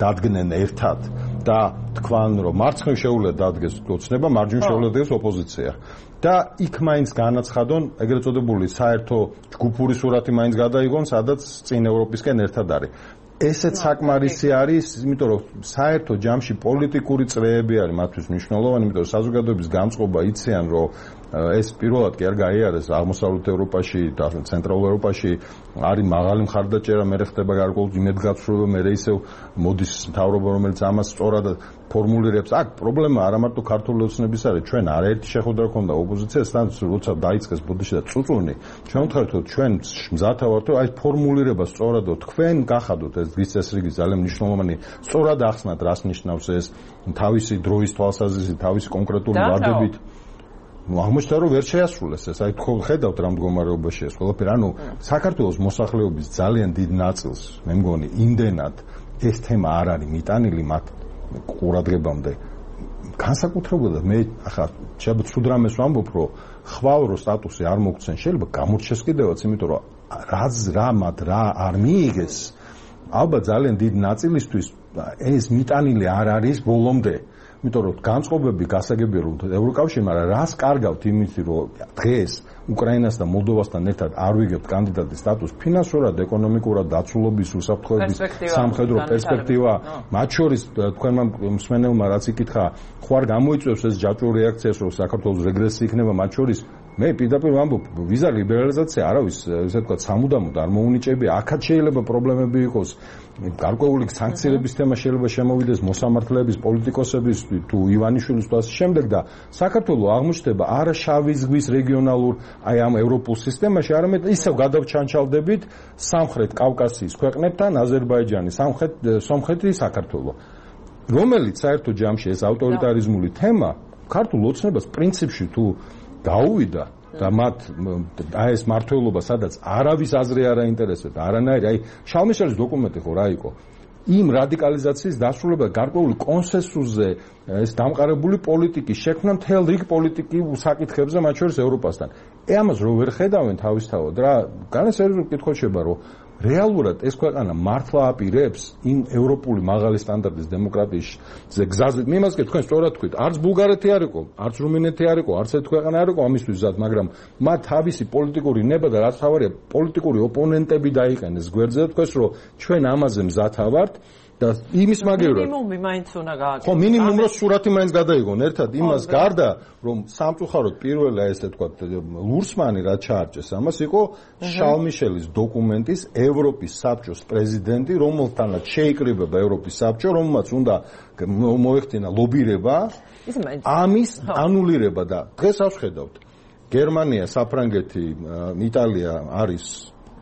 Speaker 5: დადგნენ ერთად და თქვან რომ მარცხნივ შეუძლია დადგეს ოცნება, მარჯვნივ შეუძლია დადგეს ოპოზიცია. და იქ მაინც განაცხადონ ეგრეთ წოდებული საერთო ჯგუფური სურათი მაინც გადაიღონ, სადაც წინ ევროპისკენ ერთად არის. ესეც საკმარისი არის, იმიტომ რომ საერთო ჯამში პოლიტიკური წრეები არის მათთვის მნიშვნელოვანი, იმიტომ რომ საზოგადოების გამწყობა იციან, რომ ეს პირველად კი არ გაიარეს აღმოსავლეთ ევროპაში და ცენტრალურ ევროპაში არის მაღალი მხარდაჭერა, მე ხდება გარკვეულ იმედგაცრუება, მე ისევ მოდის მთავრობა, რომელიც ამას სწორად ფორმულირებს. აქ პრობლემა არა მარტო ქართული ოცნების არის, ჩვენ არაერთი შეხვედრა ქონდა ოპოზიციასთან, როცა დაიწყეს ბოდიში და წუწუნი, ჩვენ ვთქვით, რომ ჩვენ მზათა ვართ, რომ აი ფორმულირება სწორად თქვენ გახადოთ ეს დღის წესრიგი ძალიან მნიშვნელოვანი, სწორად ახსნათ, რას ნიშნავს ეს თავისი დროის თვალსაზრისით, თავისი კონკრეტული ვადებით. აღმოჩნდა რომ ვერ შეასრულეს ეს, აი თქვენ ხედავთ რა მდგომარეობაში ეს ყველაფერი, ანუ საქართველოს მოსახლეობის ძალიან დიდ ნაწილს მე მგონი იმდენად ეს თემა არ არის მიტანილი მათ ყურადღებამდე. განსაკუთრებულად მე ახლა შეიძლება ცუდ რამეს ვამბობ, რომ ხვალ რო სტატუსი არ მოგცენ, შეიძლება გამორჩეს კიდევაც, იმიტომ რომ რაც რა მათ რა არ მიიღეს, ალბათ ძალიან დიდ ნაწილისთვის ეს მიტანილი არ არის ბოლომდე. იმიტომ რომ განწყობები გასაგებია რომ ევროკავშირმა რას კარგავთ იმით რომ დღეს უკრაინას და მოლდოვასთან ერთად არ ვიგებთ კანდიდატის სტატუსს, ფინანსურად, ეკონომიკურად, დაცულობის, უსაფრთხოების, სამხედრო პერსპექტივა, მათ შორის თქვენმა მსმენელმა რაც იკითხა, ხო არ გამოიწვევს ეს ჯაჭვური რეაქციას, რომ საქართველოს რეგრესი იქნება, მათ შორის მე პირდაპირ ვამბობ, ვიზა ლიბერალიზაცია არავის, ესე ვთქვათ, სამუდამოდ არ მოუნიჭებია, აქაც შეიძლება პრობლემები იყოს. გარკვეული სანქციების თემა შეიძლება შემოვიდეს მოსამართლეების, პოლიტიკოსების, თუ ივანიშვილის და ასე შემდეგ და საქართველოს აღმოჩნდება არა შავი ზღვის რეგიონალურ, აი ამ ევროპულ სისტემაში, არამედ ისევ გადავჩანჩალდებით სამხრეთ კავკასიის ქვეყნებთან, აზერბაიჯანი, სამხრეთ სომხეთი, საქართველო. რომელიც საერთო ჯამში ეს ავტორიტარიზმული თემა ქართულ ოცნებას პრინციპში თუ გაუვიდა და მათ აი ეს მართლობა სადაც არავის აზრი არ აინტერესებდა, არანაირი, აი შალმიშელის დოკუმენტი ხო რა იყო? იმ რადიკალიზაციის დასრულება გარკვეული კონსენსუსზე ეს დამყარებული პოლიტიკის შექმნა მთელ რიგ პოლიტიკურ საკითხებზე, მათ შორის ევროპასთან. ე ამას რო ვერ ხედავენ თავისთავად რა, განსაკუთრებით კითხვა შეება, რომ რეალურად ეს ქვეყანა მართლა აპირებს იმ ევროპული მაღალი სტანდარტის დემოკრატიის გზაზე. მე იმას თქვენ სწორად თქვით, არც ბულგარეთი არ იყო, არც რუმინეთი არ იყო, არც ერთ ქვეყანა არ იყო ამისთვის ზად, მაგრამ მათ თავისი პოლიტიკური ნება და რაც თავარია პოლიტიკური ოპონენტები დაიყენეს გვერდზე და თქვეს, რომ ჩვენ ამაზე მზათა ვართ და იმის მაგევრად
Speaker 1: მინიმუმი მაინც უნდა გააკეთოს.
Speaker 5: ხო, მინიმუმ რო სურათი მაინც გადაიღონ ერთად იმას გარდა, რომ სამწუხაროდ პირველი ესე თქვა ლურსმანი რა ჩაარჭეს ამას იყო შალმიშელის დოკუმენტის ევროპის საბჭოს პრეზიდენტი, რომელთანაც შეიკრიბება ევროპის საბჭო, რომელმაც უნდა მოეხდინა ლობირება ამის ანულირება და დღეს ავხედავთ გერმანია, საფრანგეთი, იტალია არის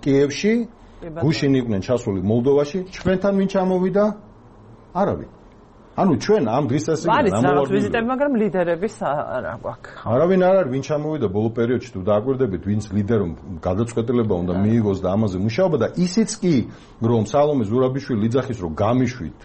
Speaker 5: კიევში, გუშინ იყვნენ ჩასული მოლდოვაში, ჩვენთან ვინ ჩამოვიდა? არავინ. ანუ ჩვენ ამ დღის წესრიგიდან
Speaker 1: ამოვარდნილ ვიზიტები, მაგრამ ლიდერების არა გვაქვს.
Speaker 5: არავინ არ არის, ვინ ჩამოვიდა ბოლო პერიოდში, თუ დააკვირდებით, ვინც ლიდერომ გადაწყვეტილება უნდა მიიღოს და ამაზე მუშაობა და ისიც კი, რომ სალომე ზურაბიშვილი იძახის, რომ გამიშვით,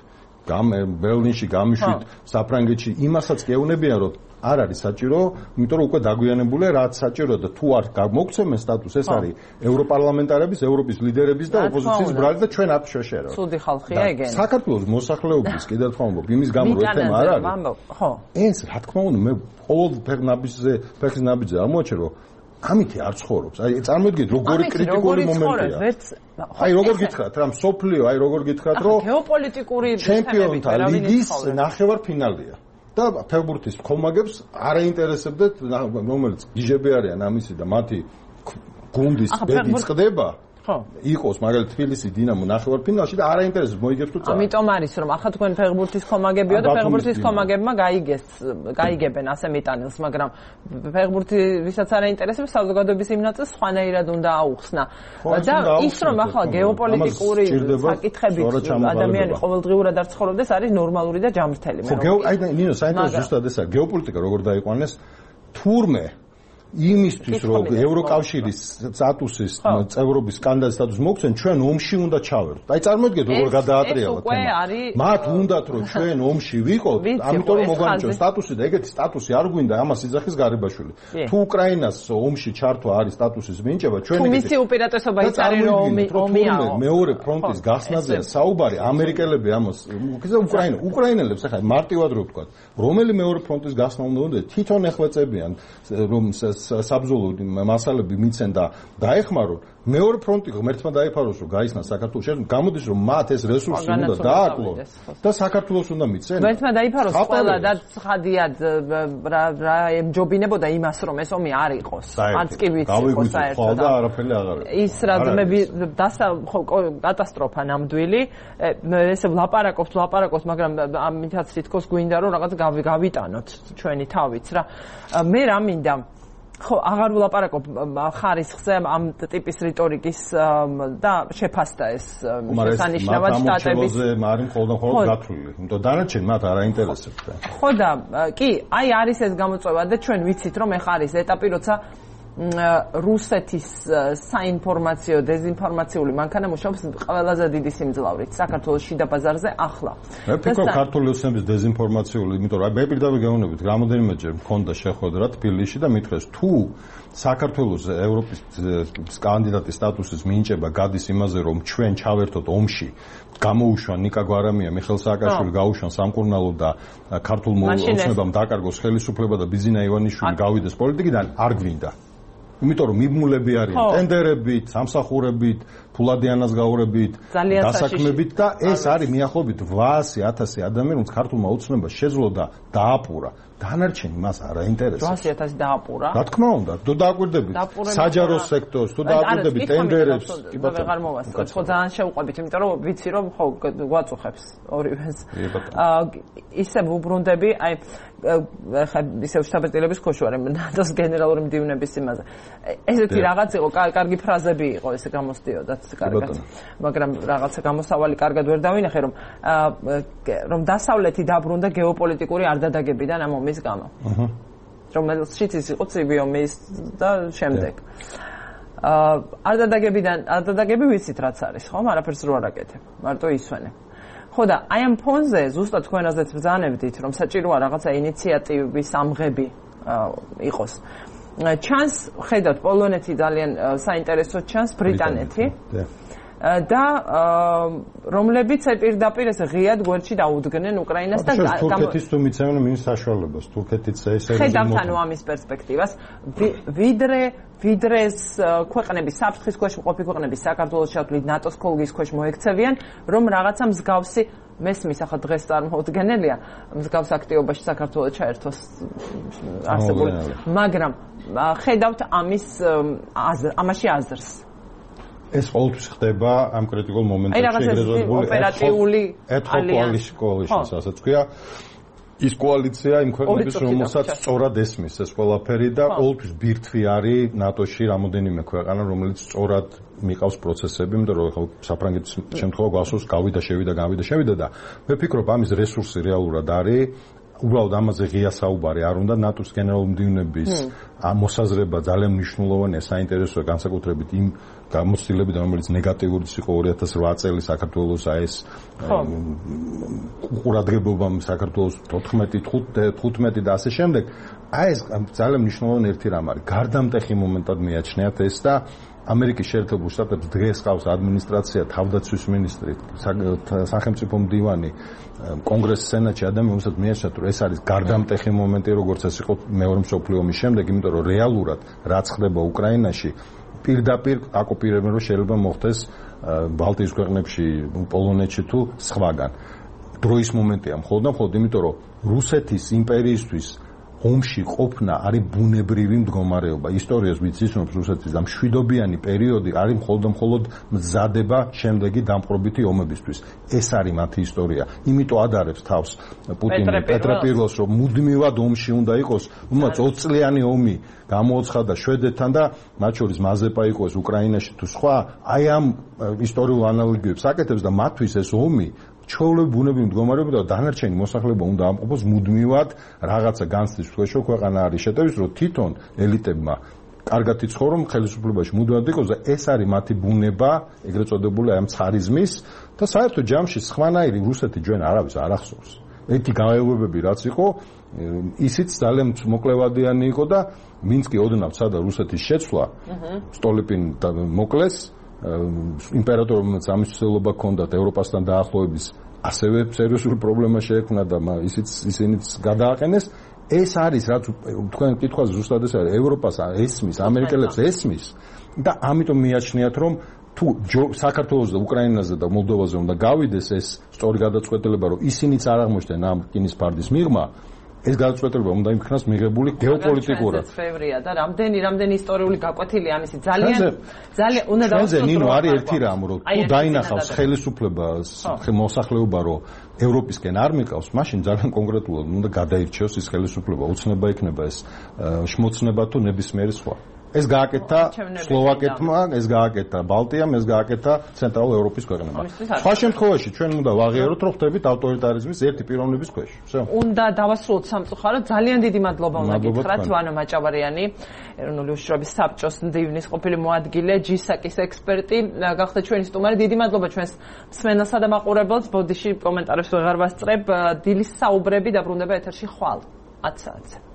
Speaker 5: გამ ბერლინში გამიშვით, საფრანგეთში, იმასაც კი ეუნებიან, რომ არ არის საჭირო, იმიტომ რომ უკვე დაგვიანებულია, რაც საჭიროა და თუ არ მოგცემენ სტატუსს, ეს არის ევროპარლამენტარების, ევროპის ლიდერების და ოპოზიციის ბრალი და ჩვენ აქ შეშერო.
Speaker 1: ცუდი ხალხია ეგენი.
Speaker 5: საქართველოს მოსახლეობის კიდევ თქვა მომბობ, იმის გამო რომ ეს თემა არ არის.
Speaker 1: ხო.
Speaker 5: ეს რა თქმა უნდა, მე ყოველ ფეხნაბიჯზე, ფეხის ნაბიჯზე ამოაჩერო, ამითი არ ცხოვრობს. აი წარმოიდგინეთ როგორი კრიტიკული მომენტია. აი როგორ გითხრათ რა მსოფლიო, აი როგორ გითხრათ რომ
Speaker 1: გეოპოლიტიკური
Speaker 5: ჩემპიონთა ლიგის ნახევარფინალია. და ფეხბურთის ხომაგებს არ აინტერესებდეთ რომელიც გიჟები არიან ამისი და მათი გუნდის ბედი წყდება. ხო იყოს მაგალითად თბილისი დინამო ნახევარფინალში და არ აინტერესებს მოიგებს თუ წავა.
Speaker 1: ამიტომ არის რომ ახლა თქვენ ფეხბურთის ხომაგებიო და ფეხბურთის ხომაგებმა გაიგეს გაიგებენ ასე მიტანილს, მაგრამ ფეხბურთი ვისაც არ აინტერესებს საზოგადოების იმ ნაწილს სხვანაირად უნდა აუხსნა. და ის რომ ახლა გეოპოლიტიკური საკითხებით ადამიანი ყოველდღიურად არ ცხოვრობდეს არის ნორმალური და ჯანმრთელი.
Speaker 5: ხო აი ნინო საინტერესო ზუსტად ესაა გეოპოლიტიკა როგორ დაიყვანეს თურმე იმისთვის რომ ევროკავშირის სტატუსის წევრობის კანდიდატის სტატუსი მოგცენ ჩვენ ომში უნდა ჩავერთოთ. აი წარმოიდგინეთ როგორ გადაატრიალოთ თემა. მათ უნდათ რომ ჩვენ ომში ვიყოთ, ამიტომ რომ მოგვანიჭოს სტატუსი და ეგეთი სტატუსი არ გვინდა ამას იძახის გარიბაშვილი. თუ უკრაინას ომში ჩართვა არის სტატუსის მინიჭება, ჩვენ
Speaker 1: თუ მისი უპირატესობა იცარი რომ ომიაო.
Speaker 5: მეორე ფრონტის გახსნაზეა საუბარი, ამერიკელები ამას უქიზა უკრაინა, უკრაინელებს ახლა მარტივად რო ვთქვა, რომელი მეორე ფრონტის გახსნა უნდა თვითონ ეხვეწებიან რომ საბრძოლო მასალები მიცენ და დაეხმარონ მეორე ფრონტი ღმერთმა დაიფაროს რომ გაისნა საქართველოს შენ გამოდის რომ მათ ეს რესურსი უნდა დააკლონ და საქართველოს უნდა მიცენ
Speaker 1: ღმერთმა დაიფაროს ყველა და ცხადიად რა რა ემჯობინებოდა იმას რომ ეს ომი არ იყოს არც კი ვიცი
Speaker 5: ხო საერთოდ და არაფერი აღარ
Speaker 1: ის რადგმები დასა კატასტროფა ნამდვილი ეს ვლაპარაკობთ ვლაპარაკობთ მაგრამ ამითაც თითქოს გვინდა რომ რაღაც გავიტანოთ ჩვენი თავიც რა მე რა მინდა ხო აღარ ვლაპარაკობ ხარისხზე ამ ტიპის რიტორიკის და შეფასდა ეს შესანიშნავად სტატების
Speaker 5: მაგრამ მხოლოდ მხოლოდ გათვლილი იმიტომ დანარჩენ მათ არ აინტერესებთ
Speaker 1: ხო და კი აი არის ეს გამოწვევა და ჩვენ ვიცით რომ ეხა არის ეტაპი როცა რუსეთის საინფორმაციო დეზინფორმაციული მანქანა მუშაობს ყველაზე დიდი სიმძლავრით საქართველოს შიდა ბაზარზე ახლა.
Speaker 5: მე ფიქრობ ქართული ოსნების დეზინფორმაციული, იმიტომ რომ მე პირდაპირ გეუბნებით, რამოდენიმეჯერ მქონდა შეხვედრა თბილისში და მითხრეს თუ საქართველოს ევროპის კანდიდატის სტატუსის მინიჭება გადის იმაზე რომ ჩვენ ჩავერთოთ ომში გამოუშვან ნიკა გვარამია, მიხეილ სააკაშვილი გაუშვან სამკურნალო და ქართულ ოსნებამ დაკარგოს ხელისუფლება და ბიზინა ივანიშვილი გავიდეს პოლიტიკიდან არ გვინდა. იმიტომ რომ მიბმულები არიან ტენდერებით, სამსახურებით, ფულადიანას გაურებით, დასაქმებით და ეს არის მიახლოებით ათასი ათასი ადამიანი, რომელიც ქართულმა ოცნებას შეძლო და დააპურა. დანარჩენი მას არ აინტერესებს.
Speaker 1: ათასი ათასი დააპურა.
Speaker 5: რა თქმა უნდა, თუ დააკვირდებით საჯარო სექტორს, თუ დააკვირდებით ტენდერებს,
Speaker 1: კი ბატონო. ვეღარ მოვასწრებ, ხო ძალიან შევყვებით, იმიტომ რომ ვიცი რომ ხო გვაწუხებს ორივეს. ისე ვუბრუნდები, აი ხა ისე შტაბ-ეტილების ქოში ვარ, ნატოს გენერალური მდივნების იმაზე. ესეთი რაღაც იყო, კარგი ფრაზები იყო, ესე გამოსდიოდათ კარგად. მაგრამ რაღაცა გამოსავალი კარგად ვერ დავინახე, რომ რომ დასავლეთი დაბრუნდა გეოპოლიტიკური არდადაგებიდან ამ ომის გამო. აჰა. რომელშიც ის იყო ცივი ომის და შემდეგ. აა არდადაგებიდან არდადაგები ვიცით რაც არის, ხო? არაფერს რო არ აკეთებ. მარტო ისვენებ. ხო და აი ამ ფონზე ზუსტად თქვენაზეც ბრძანებდით რომ საჭიროა რაღაცა ინიციატივების ამღები იყოს. ჩანს ხედავთ პოლონეთი ძალიან საინტერესო ჩანს ბრიტანეთი და რომლებიც პირდაპირ ეს ღიად გვერდში დაუდგნენ უკრაინას და
Speaker 5: თურქეთის თუ მიცემენ მინის საშუალებას თურქეთიც ესე
Speaker 1: ხედავთ ანუ ამის პერსპექტივას ვიდრე ვიდრეს ქვეყნების საფრთხის ქვეშ მყოფი ქვეყნების საქართველოს ჩათვლით ნატოს ქოლგის ქვეშ მოექცევიან რომ რაღაცა მსგავსი მესმის ახლა დღეს წარმოუდგენელია მსგავს აქტივობაში საქართველოს ჩაერთოს არსებული მაგრამ ხედავთ ამის ამაში აზრს
Speaker 5: ეს ყოველთვის ხდება ამ კრიტიკულ მომენტებში
Speaker 1: ეგრეთ ოპერატიული
Speaker 5: კოალიციის ასაც ქვია ის კოალიცია იმ ქვეყნების რომელსაც სწორად ესმის ეს ყველაფერი და ყოველთვის ბირთვი არის ნატოში რამოდენიმე ქვეყანა რომელიც სწორად მიყავს პროცესები იმიტომ რომ ხო საფრანგეთის შემთხვევა გვასოს გავიდა შევიდა გავიდა შევიდა და მე ფიქრობ ამის რესურსი რეალურად არის უბრალოდ ამაზე ღია საუბარი არ უნდა ნატოს გენერალური მდივნების მოსაზრება ძალიან მნიშვნელოვანია საინტერესოა განსაკუთრებით იმ გამოცდილებიდან რომელიც ნეგატიურიც იყო ორი ათას რვა წელი საქართველოს აი ეს ყურადღებობამ საქართველოს თოთხმეტი თხუთმეტი და ასე შემდეგ აი ეს ძალიან მნიშვნელოვანი ერთი რამ არის გარდამტეხი მომენტად მიაჩნიათ ეს და ამერიკის შეერთებულ შტატებს დღეს ყავს ადმინისტრაცია, თავდაცვის მინისტრი, სახელმწიფო მდივანი, კონგრესის სენატში ადამიანი, რომელსაც მიაჩნიათ, რომ ეს არის გარდამტეხი მომენტი, როგორც ეს იყო მეორე მსოფლიო ომის შემდეგ, იმიტომ რომ რეალურად რაც ხდება უკრაინაში, პირდაპირ აკოპირებენ, რომ შეიძლება მოხდეს ბალტიის ქვეყნებში, პოლონეთში თუ სხვაგან. დროის მომენტია მხოლოდ და მხოლოდ იმიტომ, რომ რუსეთის იმპერიისთვის ომში ყოფნა არის ბუნებრივი მდგომარეობა. ისტორიას ვიცნობთ რუსეთის და მშვიდობიანი პერიოდი არის მხოლოდ და მხოლოდ მზადება შემდეგი დამპყრობითი ომებისთვის. ეს არის მათი ისტორია. იმიტომ ადარებს თავს პუტინი პეტრე პირველს, რომ მუდმივად ომში უნდა იყოს, უმაც ოცი წლიანი ომი გამოაცხადა შვედეთთან და მათ შორის მაზეპა იყო ეს უკრაინაში თუ სხვა, აი ამ ისტორიულ ანალოგიებს აკეთებს და მათთვის ეს ომი ჩვეულებრივი ბუნებრივი მდგომარეობა და დანარჩენი მოსახლეობა უნდა ამყოფოს მუდმივად რაღაცა განცდის ქვეშ, ქვეყანა არის შეტევის, რომ თვითონ ელიტებმა კარგად იცხოვრონ, ხელისუფლებაში მუდმივად იყოს და ეს არის მათი ბუნება, ეგრეთ წოდებული ამ ცხარიზმის და საერთოდ ჯამში სხვანაირი რუსეთი ჩვენ არავის არ ახსოვს. ერთი გაეუბნებები რაც იყო, ისიც ძალიან მოკლევადიანი იყო და მინსკი ოდნავ სადა რუსეთის შეცვლა, სტოლიპინ მოკლეს იმპერატორს ამის ცდილობა ჰქონდათ ევროპასთან დაახლოების ასევე სერიოზული პრობლემა შეექმნა და ისიც ისინიც გადააყენეს. ეს არის რაც თქვენ კითხვას ზუსტად ეს არის ევროპას ესმის, ამერიკელებს ესმის და ამიტომ მიაჩნიათ რომ თუ საქართველოს და უკრაინაზე და მოლდოვაზე უნდა გავიდეს ეს სწორი გადაწყვეტილება, რომ ისინიც არ აღმოჩნდნენ ამ რკინის ფარდის მიღმა, ეს გადაწყვეტილება უნდა იმქნას მიღებული გეოპოლიტიკურად.
Speaker 1: ბევრია და რამდენი რამდენი ისტორიული გაკვეთილი ამისი ძალიან ძალიან უნდა
Speaker 5: დავუსწროთ. ნინო არის ერთი რამ, რომ თუ დაინახავს ხელისუფლება მოსახლეობა, რომ ევროპისკენ არ მიყავს, მაშინ ძალიან კონკრეტულად უნდა გადაირჩიოს ის ხელისუფლება, უცნება იქნება ეს შმოცნება თუ ნებისმიერი სხვა. ეს გააკეთა სლოვაკეთმა, ეს გააკეთა ბალტიამ, ეს გააკეთა ცენტრალურ ევროპის ქვეყნებმა. სხვა შემთხვევაში ჩვენ უნდა ვაღიაროთ, რომ ხდებით ავტორიტარიზმის ერთი პიროვნების ქვეშ. всё.
Speaker 1: უნდა დავასრულოთ სამწუხაროდ. ძალიან დიდი მადლობა უნდა გითხრათ ვანო მაჭავარიანი, ეროვნული უშუალობის საბჭოს მდივნის ყოფილი მოადგილე, ჯისაკის ექსპერტი, გახდა ჩვენი სტუმარი. დიდი მადლობა ჩვენს მსმენელსა და მაყურებელს. ბოდიში კომენტარებს ვეღარ ვასწრებ. დილის საუბრები დაბრუნდება ეთერში ხვალ ათი საათზე.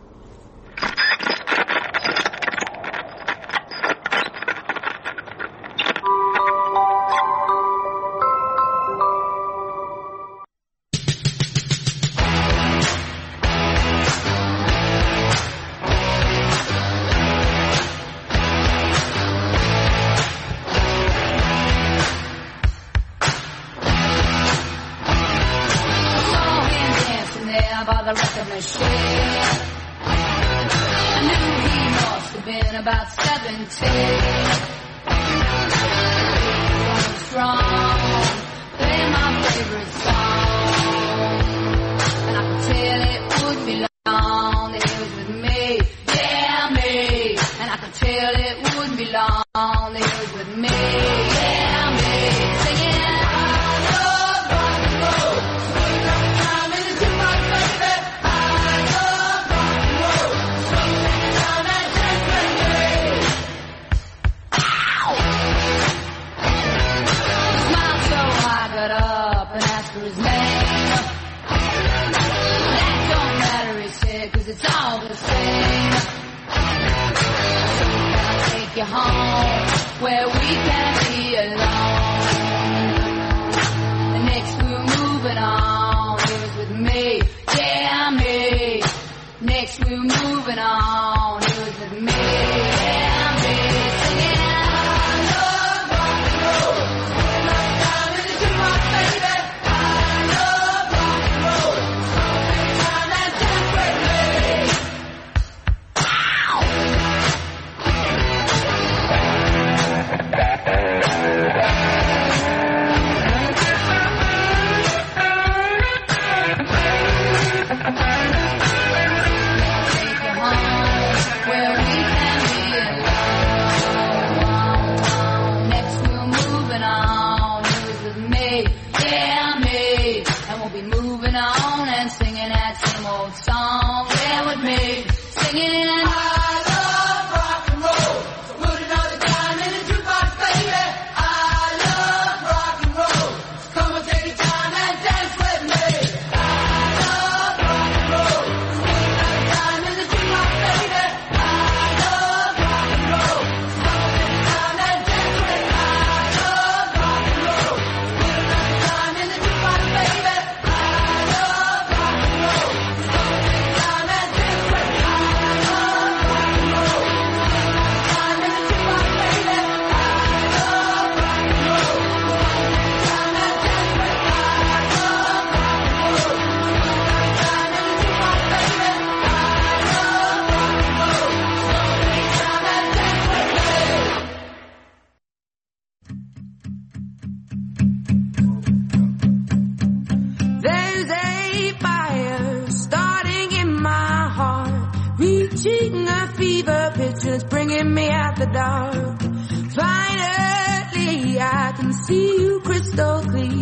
Speaker 8: the dark. Finally, I can see you crystal clear.